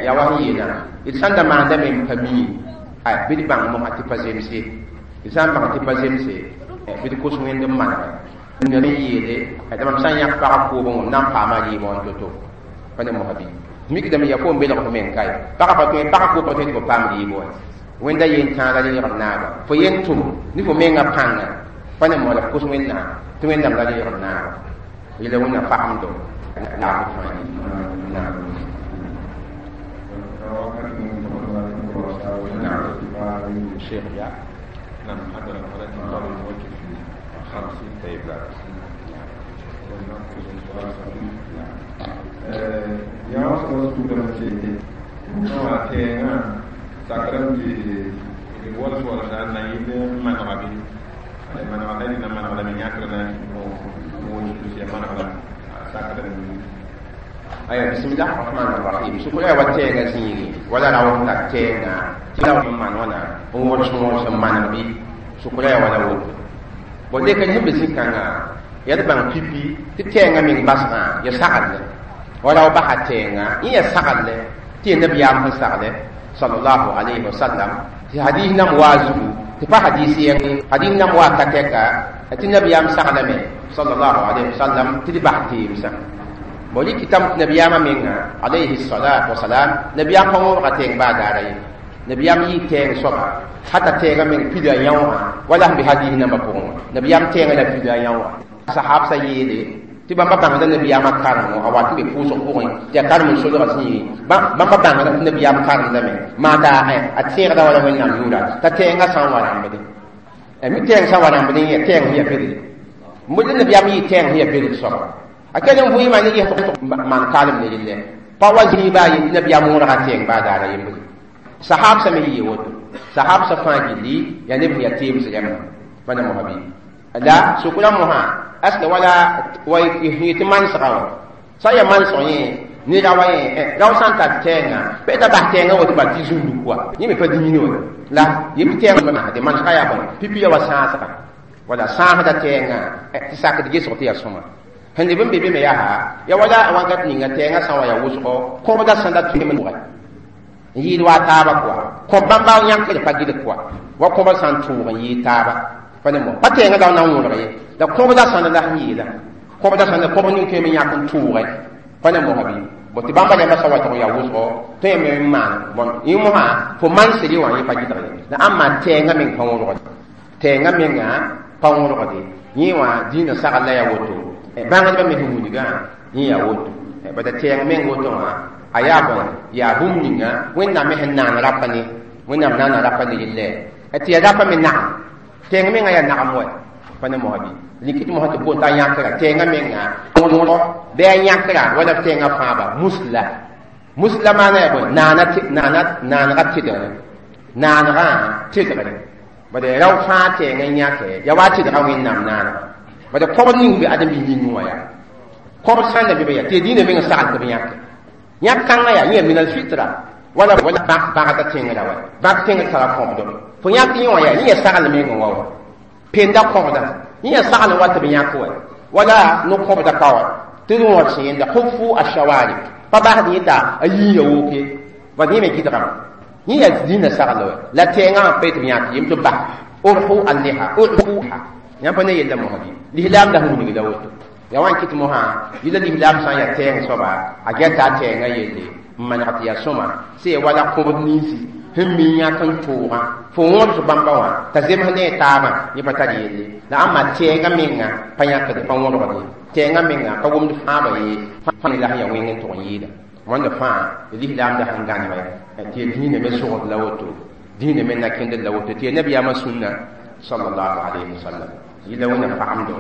yaa wa sẽn yeelã d sãn da maandame n pa mi bɩ d bãng mosã tɩ pa zemse d sã n bãng tɩ pa zemse bɩ d kos wẽnd n manega n yeele tɩ mam sã n yãk pagã koobẽ wã m na n paama rɩɩbã wã to-to pa ne mosã bɩ mikdame yaa fo n belg f meng kae pagã pa tõe pagã koog pa tõe tɩ fo paam rɩɩbã wã wẽnda yen tãaga reegd naaga fo yen tʋm ne fo menga pãnga pa ne moa la f kos wẽnnaam tɩ wẽnnaam la reegd naaga yela wẽnna fagemdo naab fãa naam الشيخ يا نعم حضر ولكن قالوا الموجه في خمسين طيب لا yaa sõ sugdame tɩ tẽengã sakrame tɩ wals walsda n na yɩl manega bɩ manega la rɩna manega lame yãkr na wos ya manega sakrame aya bismillah rahman rahim sukura wa tẽengã zĩigi wala ra wʋm tar tẽengã tɩ la n maan wãna n wõrs wõrs n maneg bɩ sukura ya wala woto bon lek n sẽn be zĩ-kãngã yaa d bãng pipi tɩ tɛɛngã meng basgã ya saglle wala w basa tɛɛngã yẽ ya saglɛ tɩ ya nabiyaam sẽn sagle sallallahu alayhi wa sallam tɩ hadis nam waa zugu tɩ pa hadis yẽng hadis nam waa ka tɛka tɩ nabiyaam saglame sallallahu alayhi wa sallam tɩ d bas teemsã bon rɩkɩtame tɩ nabiyaamã menga alayhi salatu wasalam nabiyaam pa wõbga tɛɛng baa daara ye nabiyaam yɩ tɛɛng soaba hata tɛɛngã meng pida yã wã wala sẽn be hadis nambã pʋgẽ wã nabiyaam tɛɛngã la pida yã wã sahab sa yeele tɩ bãmba bãngda nabiyaamã karemo a wat n be pʋʋsg pʋgẽ tɩ yaa karem n solga zĩigi bãmba bãngda tɩ nabiyaam karemdame maa t'a a tẽegda wala wẽnnaam yʋʋra t'a tɛɛngã sã n wa rãmbdẽ mi tɛɛng sã n wa rãmbdẽ yẽ tɛɛng sẽn yaa bedre la nabiyaam yɩ tɛɛng sẽn yaa bedr soaba a kell n vʋɩɩmã ne ges maan kaalem ne relle pa wa zĩig baa ye tɩ nabiyaam wõrga tɛɛng baa daara yembre sahab sã me yɩ woto sahab sã fãa gilli yaa neb sẽn yaa teems rãmba pa ne mosã bɩ la sʋkra mosã est ce que wala wa yetɩ mansgã wã sã n yaa mansg yẽ ne ra wa yẽ rao sã n tar tɛɛngã bɩ t'a bas tɛɛngã woto bal tɩ zũndu kɔa yẽ me pa dĩin wã la yem tɩ tɛɛngã masde mansgã yaa bõe pipi ya wa sãasga wala sãasda tɛɛngã tɩ sakd gesg tɩ yaa sõma sẽn leb n be be me yaa ya wala wakat ninga tɛɛngã sã n wa yaa wʋsgo kõbda sẽn da tʋm n yɩɩd wa taaba kɔa kõ bãmba yãkd pa gɩd kɔa wa kõba sã n tʋʋg n yɩɩd taaba pa ne mo pa tɛɛngã la na n wõrg ye la kõbda sãnd la sẽn yɩɩda kõbda sãnd kõb ning tõe me yãk n tʋʋge pa ne mosã bɩ bon tɩ bãmba rãmbã sã wa tɩg yaa wʋsgo tõe me n maan bon yẽ mosã fo mansd wã yẽ pa gɩdg ye la ãmba tɛɛngã meng pa wõrgde tɛɛngã menga pa wõrgde yẽ wã dĩinã sagl la yaa woto bãngdbã me sẽn wilgã yẽ yaa woto bada tɛɛng meng woto wã a yaa bõe yaa bũmb ninga wẽnnaam me sẽn naan rapa ne wẽnnaam naana rapa ne yelle tɩ yaa rapa me nagam tɛɛng menga yaa nagam wɛ pa ne mosã bɩ likit mosã tɩ boon t'a yãkra tɛɛngã menga wõrgo bɩ a yãkra wala tɛɛngã fãaba musla musla maana yaa bõe naanega tɩdgre naanegã tɩdgre bad rao fãa tɛɛngã yãke yaa wa tɩdga wẽnnaam naanega bad kõbd ning be ãdem-biis yĩngẽ wã yaa Kõb sãn da be be ya tɩ dĩinã meng sagl tɩ b yãke yãk kãngã yaa yẽ min alfitra wala wala bãgda tẽngrã wa bãk tẽngr tara kõbdo fo yãk yẽ wã yaa yẽ yaa sagl meng wa wa penda kõbda yẽ yaa sagl wa tɩ b yãk wa wala no-kõbda ka wa tɩ d wõd sẽn yẽnda hufu ashawarib pa basd yẽta a yiiya woke bad yẽ me gɩdgame yẽ yaa dĩinã sagl wa la tɛɛngã wã pa tɩ b yãk yem tɩ bas urhu alliha urhuha yãmb pa ne yella mosã bɩ lislaam la sẽn wilg la woto ya wan kɩt mosã yɩla lislaam sã n yaa tɛɛng soaba a gɛta a tɛɛngã yelle n maneg tɩ yaa sõma sẽn yaa wala kõbd ninsi sẽn mi yãk n toogã fo wõbs bãmba wã t'a zems ne a taabã yẽ pa tar yelle la ãmba tɛɛngã menga pa yãkd pa wõbgd ye tɛɛngã menga pa wʋmd fãaba ye fãa la sẽn yaa wẽng n tʋg n yɩɩda wãnda fãa lislaam da sẽn gãneme tɩ ya dĩinã me sogd la woto dĩinã me na kẽndr la woto tɩ ya nabiyaamã sũnna sallallahu alayhi wa sallam yɩla wẽnna fagemdo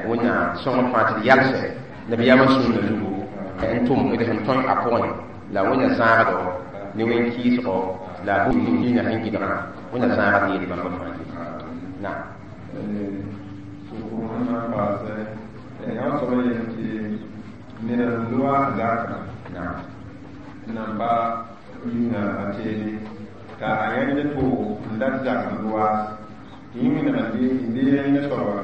wẽnna sõngr fãa tɩ d yalsɛ nabiyaamã sũnna zugu n tʋm d sẽn tõe a pʋgẽ la wẽnna zãagdo ne wẽn kɩɩsgo la dĩinã sẽn gɩdgã wẽnna zãagd yel bãmba fãa naam yã soaba yel tɩ ned n loa zaka naam nan pa yĩnga a teede t'a a yãnd toogo n dat zak n loaas tɩ yẽ wẽneg n de yẽnda soaba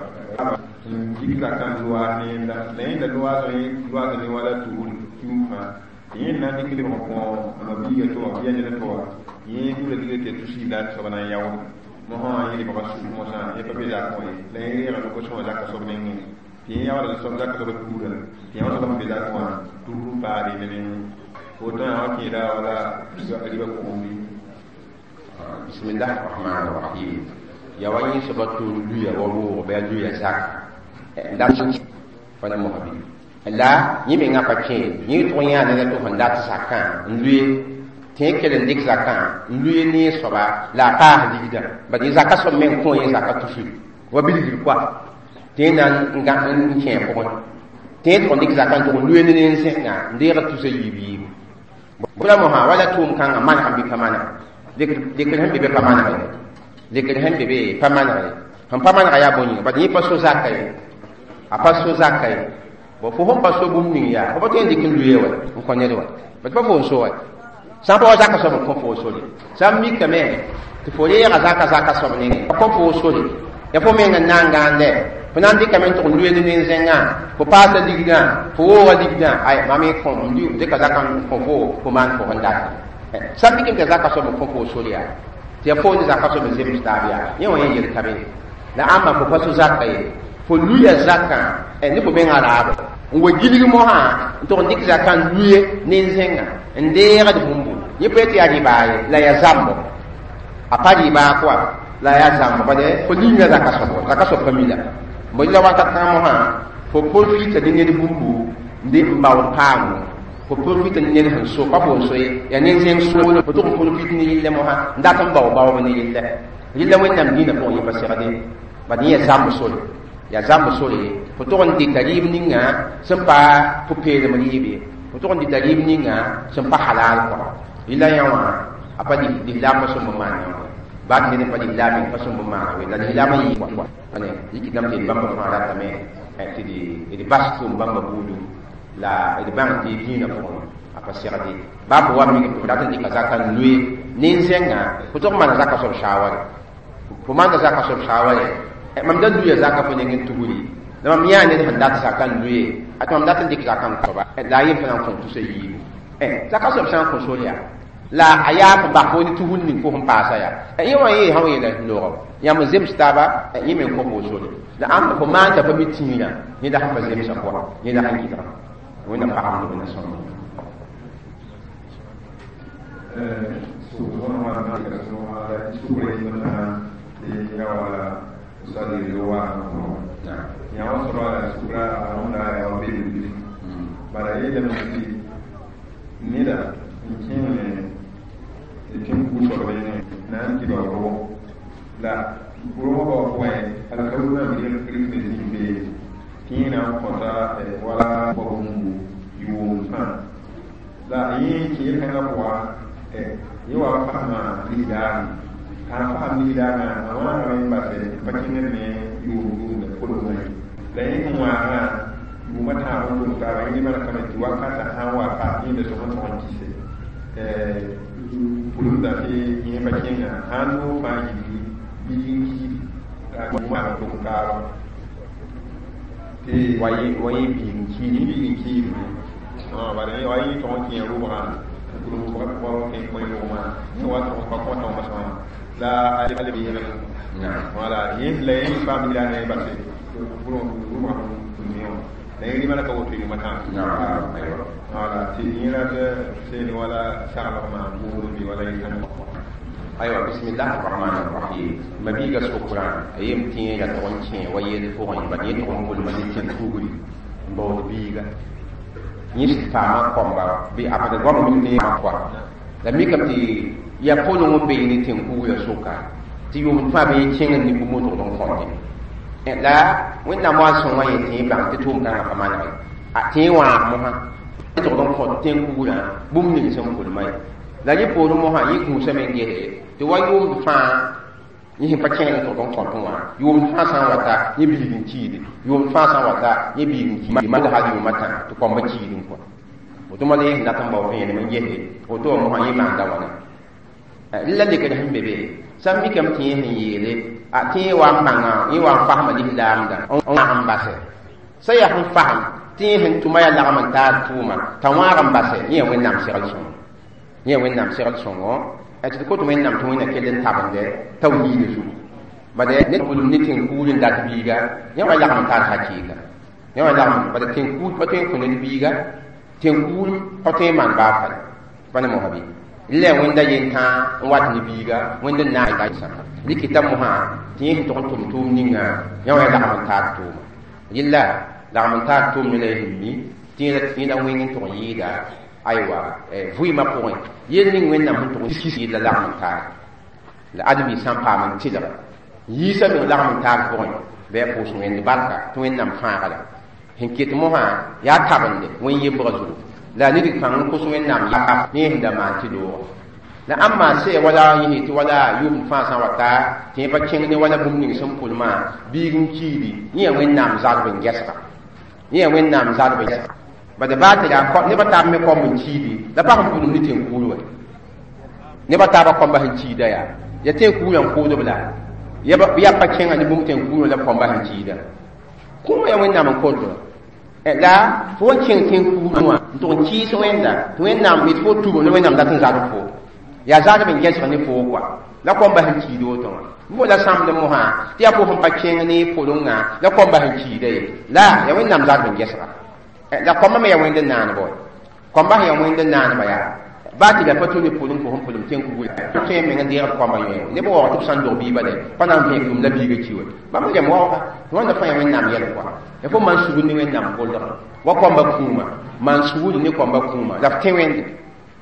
n dɩk zakã n loaas ne yẽnda la yẽnda loaasã loaasa ne wala tuur kium fãa tɩ yẽnd na n dɩk lebg n kõ a ma-biiga to wã bɩ a ned to wã yẽ gũuda dɩgre tɩ ya tus la soaba na n yaood mosã wã yẽ lebga sug mosã yẽ pa be zakẽ wã ye la yẽ reega no-kosẽ wã zaka soab nengẽ tɩ yẽ yaooda soab zaka soabã tuurã tɩ yã soab sẽn be zakẽ wã tuur n paad ne meng woto yã wã kẽeda wala ribã pʋgẽ bɩ bismillah rahman rahim ya wa yẽ soaba tʋʋr luya wa roog bɩ a luya zak la pa na mosã bɩ la yẽ mengã pa kẽ yẽ tʋg yãa neda tɩ sẽn dat zakã n lʋe tɩ yẽ kell n dɩk zakã n lʋe ne soaba la a paas ligdã bad yẽ zaka soab meng kõ yẽ zaka tusri wa bilgr koa tɩ yẽ na n kẽ a pʋgẽ tɩ yẽ tʋg n dɩk zakã n tʋg n lʋe ne neen zẽnga n deeg tusa yiib yiibu bʋla mosã wala tʋʋm kãngã maneg n bɩ pa maneg lekr sẽn be be pa maneg ye lekr sẽn be be pa maneg ye sẽn pa manega yaa bõe yĩnga bad yẽ pa so zaka ye a pa so zaka ye bon fo sẽn pa so bũmb ning yaa fo pa tõe n dɩk n lʋe wa n kõ ned wa bad pa fo n so wa sã n pa wa zaka soab n kõ fo sore sã n mikame tɩ fo reega zaka zaka soab nengẽ pa kõ fo sore ya fo meng n na n gãande fo na n dɩkame n tʋg n lʋe ne nen-zẽngã fo paasa ligdã fo wooga ligdã ay mam y kõ n dɩka zaka n kõ fo fo maan fo sẽn dat sã n mikame tɩ zaka soab n kõ fo sore yaa tɩ ya fo ne zaka soab n zems taab yaa yẽ wã yẽ yel ka be la ãmba fo pa so zaka ye fo luya zakã ne fo mengã raabo n wa gilg mosã n tʋg n dɩk zakã n lʋe nen-zẽngã n deegd bũmbu yẽ pa tɩ yaa rɩbaa ye la yaa zãmbo a pa rɩbaa koa la yaa zãmbo bad fo linga zaka soabo zaka soab pa mi la bõe la wakat kãngã mosã fo profita ne ned bũmbu n de n baood paamo fo profita ne ned sẽn so pa fo n so ye yaa nen-zẽng soolem fo tʋg n profit ne yelle mosã n dat n bao baoob ne yelle yella wẽnnaam dĩinã pʋgẽ yẽ pa segde bad yẽ yaa zãmb sore yaa zãmb sore fo tʋg n dɩka rɩɩb ninga sẽn pa pʋ-peelem rɩɩb ye fo tʋg n dɩta rɩɩb ninga sẽn pa halal kɔ yella yã wã a pa lislaam pa sõmb maan yã wã baat ned n pa lislaam pa sõmb maana we la lislaam n yɩ ane yikɩtame tɩ d bãmba fãa ratame tɩ d bas tʋʋm bãmba buudu la d bãng tɩ dĩinã pʋgẽ a pa segde baa fo wa mik tɩ dat n dɩka zaka n loe nen-zẽngã fo tʋg n maana zaka soab shaware fo maanda zaka soab shaware mam da luya zaka fo neng n tugri la mam yãa ned sẽn dat zaka n loe a tɩ mam dat n dɩk zaka n kõba la a yem fo na n kõ tusa yiibu zaka soab sã n kõ sor yaa la a yaa fo bas fo ne tugr ning fo sẽn paasa yaa yẽ wã yee sã wa yeela noogã yãmb n zems taaba yẽ me n kõ fo sore la ãmb fo maan t'a pa mi tĩirã yẽ la sẽn pa zemsã pʋga yẽ la sẽn gɩdga wẽnnaam pagemd wẽnna sõmb yã wã soaba la sukra a rõmda yaa wa beelem bilf bala yeelame tɩ neda n kẽeme tɩ tẽn-ku soab yẽngẽ na n kɩ ba rogo la rogã bao pʋgẽ alkaoor rãmb rɩk ne zĩig beene tɩ yẽ na n kõta wala pa bũmbu yʋʋm fãa la yẽ kẽ yel-kãngã pʋga yẽ wa fasma lislaame t'a n fasem lislaamã a wãagame n basɛ n pa kẽngd ne yʋʋm yʋʋmda kolgmã ye la yẽ sẽn wãagã yʋʋmã tãab n tʋm taaba yẽ mana kame tɩ wakatã sã n wa pa yẽnda sõs n tog n kɩse pʋlumdã tɩ yẽ pa kẽnga sãn noog fãa yibgi biig n kiidi la yʋʋmã n tʋm taaba tɩ wa yẽ biig n kiidi biig n kiidme bala wa yẽ tog n kẽ rʋbgã n pʋlum rʋbgã kẽ kõ rʋgmã yẽ wa tog n pa kõta wã sõma la a le yẽlg wala yẽ la yẽ paam yɩla ne base pʋlum rʋbgã pʋlum wã la yẽ rɩmana ka woto yʋʋmã tãab wala tɩ yẽ la seen wala saglg maan buud bɩ wala yẽ aywa bismillah arrahman arrahim mabiiga sʋkrã a yem tẽega tog n kẽ wa yell pʋgẽ bad yẽ tog n pʋlma ne tẽn kugri n baood biiga yẽ sɩd paama kõmba bɩ a bad goam mim ne kɔa la mikame tɩ yaa pʋleng n bee ne tẽn kugrã sʋka tɩ yʋʋmd fãa bɩ yẽ kẽngd ne bũmb n togd n kõte la wẽnnaam wa n sõngã yẽ tẽ bãng tɩ tʋʋm kãngã pa maneg ye tẽ wãag mosã togd n kõt tẽn kugrã bũmb ning sẽn pʋlma ye la yẽ poorẽ mosã yẽ kũusame n gese tɩ wa yʋʋmd fãa yẽ sẽn pa kẽngd n togd n kõt wã yʋʋmd fãa sã n wata yẽ biig n kiide yʋʋmd fãa sã n wata yẽ biig n kiide mal hal yʋʋmã tã tɩ kõmba kiid n kõ woto ma la yẽ sẽn dat n bao vẽenem n gese woto wã mosã yẽ maanda wãna la lekd sẽn be be sã n mikame tɩ yẽ sẽn yeele a tɩ yẽ wa n bãnga yẽ wa n fasma lislaamdã n wãag n basɛ sã yaa sẽn fasem tɩ yẽ sẽn tʋma yaa lagm n taar tʋʋma t'a wãag n basɛ yẽ yaa wẽnnaam segl sõngo yẽ yaa wẽnnaam segl sõngo tɩ d kot wẽnnaam tɩ wẽnna kell n tabende tawhiida zugu bad ne pʋlem ne tẽn-kuur n dat biiga yẽ wa lagm n tar hakɩɩka yẽ wa lagm bad tẽn-kuur pa tõe n kõ ned biiga tẽn-kuur pa tõe n maan baa fal pa ne mosã bɩ la yaa wẽnda yentã n wat ne biiga wẽnd n naag rɩkɩta mosã tɩ yẽ sẽn tog n tʋm tʋʋm ninga yẽ wa lagm n taar tʋʋma yella lagm n taar tʋʋm ne la y sẽn mi tɩ yẽ la wẽng n tog n yɩɩda aywa vɩɩmã pʋgẽ yel ning wẽnnaam sẽn tog n kis la lagm n taar la ãdem-biig sã n paam n tɩlg yiisã meng lagm n taar pʋgẽ bɩ a pʋʋs wẽnd barka tɩ wẽnnaam fãaga la sẽn ket mosã yaa tabende wẽn-yembgã zugu la ned kãng n kos wẽnnaam yaa ne sẽn da maan tɩ looga la ãmb maa sɛ wala yẽ tɩ wala yʋʋmd fãa sã n wa ta tɩ yẽ pa kẽng ne wala bũmb ning sẽn pʋlmã biig n kiidi yẽ yaa wẽnnaam zalb n gɛsga yẽ yaa wẽnnaam zalb n gɛsga bad baa tɩ yaa nebã taab me kõmb n kiidi la pa sẽn pʋlem ne tẽn-kuur wɛ nebã taabã kõmba sẽn kiida yaa ya tẽn-kuurã n koodb la yaa pa kẽnga ne bũmb tẽn-kuurã la b kõmba sẽn kiida kũumã yaa wẽnnaam n kotd la fo n kẽng tẽn-kuurã wã n tʋg n kɩɩs wẽnda tɩ wẽnnaam yetɩ fo tubem la wẽnnaam dat n zalb fo yaa zalb n gɛsg ne foo kɔa la kõmba sẽn kiid woto wã bo la sãmd mosã tɩ yaa fo sẽn pa kẽng ne pʋlengã la kõmba sẽn kiida ye la yaa wẽnnaam zalb n gɛsga la kõmba me yaa wẽnd n naaneba wa kõmba sẽn yaa wẽnd n naaneba yaa baa tɩ la pa tũ ne pʋleng fo sẽn pʋlem tẽn-kugr tõe n meng n deegd kõmba yõe neb waoog tɩ b sã n dog biiba dɛ pa na n vẽeg la biiga ki wa bãmb rem waooga tɩ wãnda fãa yaa wẽnnaam yɛl kɔa ya fo maan sugr ne wẽnnaam kolgã wa kõmba kũuma maan sugr ne kõmba kũuma la f tẽ wẽnde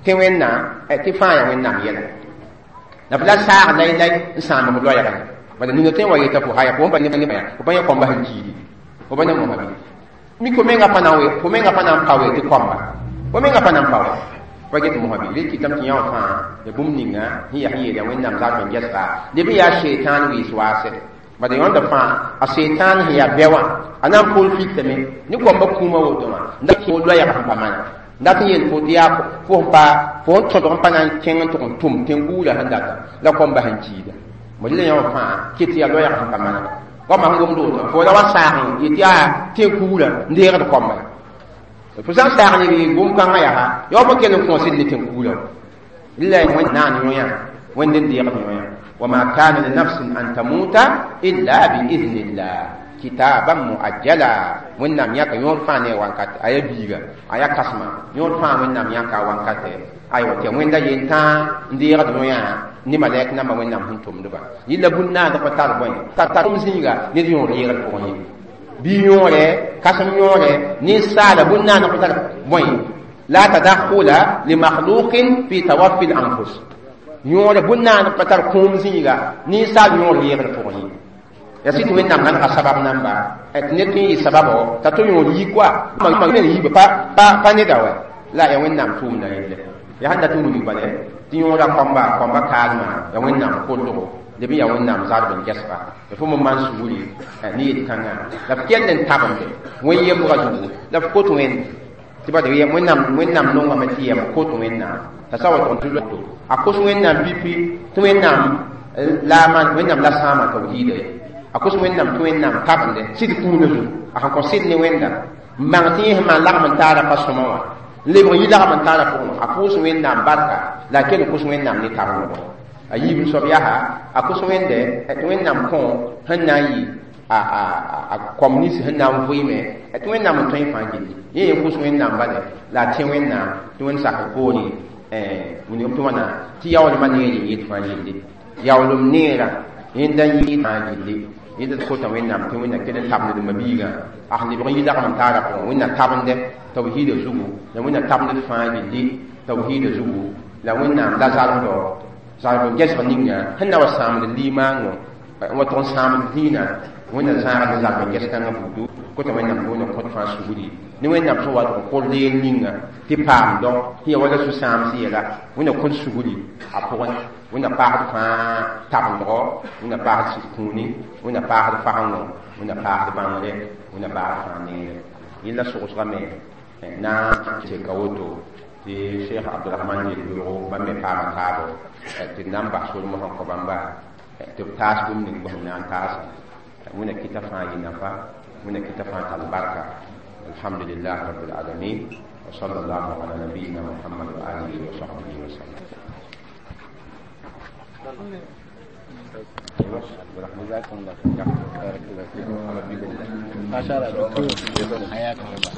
tẽ wẽnna tɩ fãa yaa wẽnnaam yɛla la f la saag lai-lai n sãamg f loɛɛgã bala nina tõe n wa yeta fo haya fo pa ne fo pa yẽ kõmba sẽn kiidi fo pa ne mosã bɩ mi fo menga pa na n fo menga pa na n pa we tɩ kõmba fo menga pa na n pa we pa get mosã bɩ rɩ kɩtame tɩ yã wã fãa ya bũmb ninga sẽn yaa sẽn yeel yaa wẽnnaam zalb n gɛsga leb n yaa seetãan wɩɩs waasɛ bad yõnda fãa a seetãan sẽn yaa bɛ wã a na n poor fiktame ne kõmba kũumã woto wã n da kẽ loɛɛg sẽn pa mana n dat n yeel fo tɩ yaa fo sẽn pa fo n tõdg n pa na n kẽng n tʋg n tʋm tẽn-guurã sẽn data la kõmba sẽn kiida mo la yã wã fãa ket yaa loɛɛg sẽn pa mana goamã sẽn gomd woto fo la wa saag n yetɩ yaa tẽn-kuurã n deegd kõmba fo sã n saag ne gom-kãngã yaa yaa fa kell n kõosd ne tẽn-kuurã la wẽnd naan yõyã wẽnd n deegd yõyã وما كان لنفس أن تموت إلا بإذن الله كتابا مؤجلا وإنم يكا يور فاني وانكات أي بيغا أي كسما يور فان وإنم يكا وانكات أي وتي وين دا ينتا ندير دنيا ni malɛk namba wẽnnaam sẽn tʋmdba yɩla bũn-naad pa tar bõe tar tʋm zĩiga ned yõor yɩgl pʋgẽ ye bɩ yõore kãsem yõore ninsaala bũn-naad pa tar bõe la tadakhula limakhluqin fi tawaffi l-anfus yõore bũn-naad pa tar kũum zĩiga ninsaal yõor yɩgl pʋgẽ ye ya sɩ tɩ wẽnnaam gãnega sabab namba tɩ ned tõe n yɩ sababo t'a tɩ yõor yi koa meng yiibã pa pa neda wɛ la ya wẽnnaam tʋʋmda yelle ya sẽn dat n wilg bala tɩ yõoda kõmba kõmba kaalmã ya wẽnnaam kolgo leb n yaa wẽnnaam zalb n gɛsga fo mo maan sugri ne yel-kãngã la f kell n tabende wẽn yembga zugu la f kot wẽnd tɩ ba wẽnnaam wẽnnaam nongame tɩ yɛm kot wẽnnaam t'a sa wa tʋg tɩ a kos wẽnnaam pipi tɩ wẽnnaam la man wẽnnaam la sãama tawhiida ye a kos wẽnnaam tɩ wẽnnaam tabende sɩd kũunã zugu a sẽn kõ sɩd ne wẽnda n bãng tɩ yẽ sẽn maan lagm n taara pa sõma wã n lebg n yi lagm n taara pʋgẽ a pʋʋs wẽnnaam barka la a kell n kos wẽnnaam ne tabengɔ a yiib soab yaa a kos wẽnde tɩ wẽnnaam kõ sẽn na n yɩ a a a kom nins sẽn na n vɩɩme tɩ wẽnnaam n tõe fãa gilli yẽ yen kos wẽnnaam bale la a tẽ wẽnnaam tɩ wẽnd sakr poore wilgem tɩ wãna tɩ yaoolmã neer n yet fãa gilli yaoolem neerã yẽnda n yɩ fãa gilli yẽnda d kota wẽnnaam tɩ wẽnna kell n tabend d mabiigã a sẽn lebg n yi lagm n taara pʋgẽ wẽnna tabende tawhiida zugu la wẽnna tabend d fãa gilli tawhiida zugu la wẽnnaam la zalmdɔ zalb n gɛsg ninga sẽn na wa sãamd limaango n wa tʋg n sãamd dĩinã wẽnna zãagd zalb n ges kãngã buudu kota wẽnnaam tɩ wẽnna kõt fãa sugri ne wẽnnaam sẽn wa tɩ kʋr leer ninga tɩ paamdɔ sẽn ya wala sũ-sãams yɛla wẽnna kõt sugri a pʋgẽ wẽnna paasd fãa tabendgɔ wẽnna paasd sɩd kũuni wẽnna paasd fagengo wẽnna paasd bãngre wẽnna paasd fãa neere yẽla sogsgame na n seka woto tɩ cheikh abdurahman yel-beoogo bãmb me paama taabo tɩ d na n bas solem sẽn kõ bãmba tɩ b taas bũmb ning bõsem na n taasa wẽnna kɩta fãa yɩ nafa wẽnna kɩta fãa tall barka alhamdulillah rabbil alamin wa sallallahu ala nabiyina muhammad wa alihi wa sahbihi wa sallam. جزاكم الله خير، بارك الله فيكم. ما شاء الله دكتور، حياكم الله.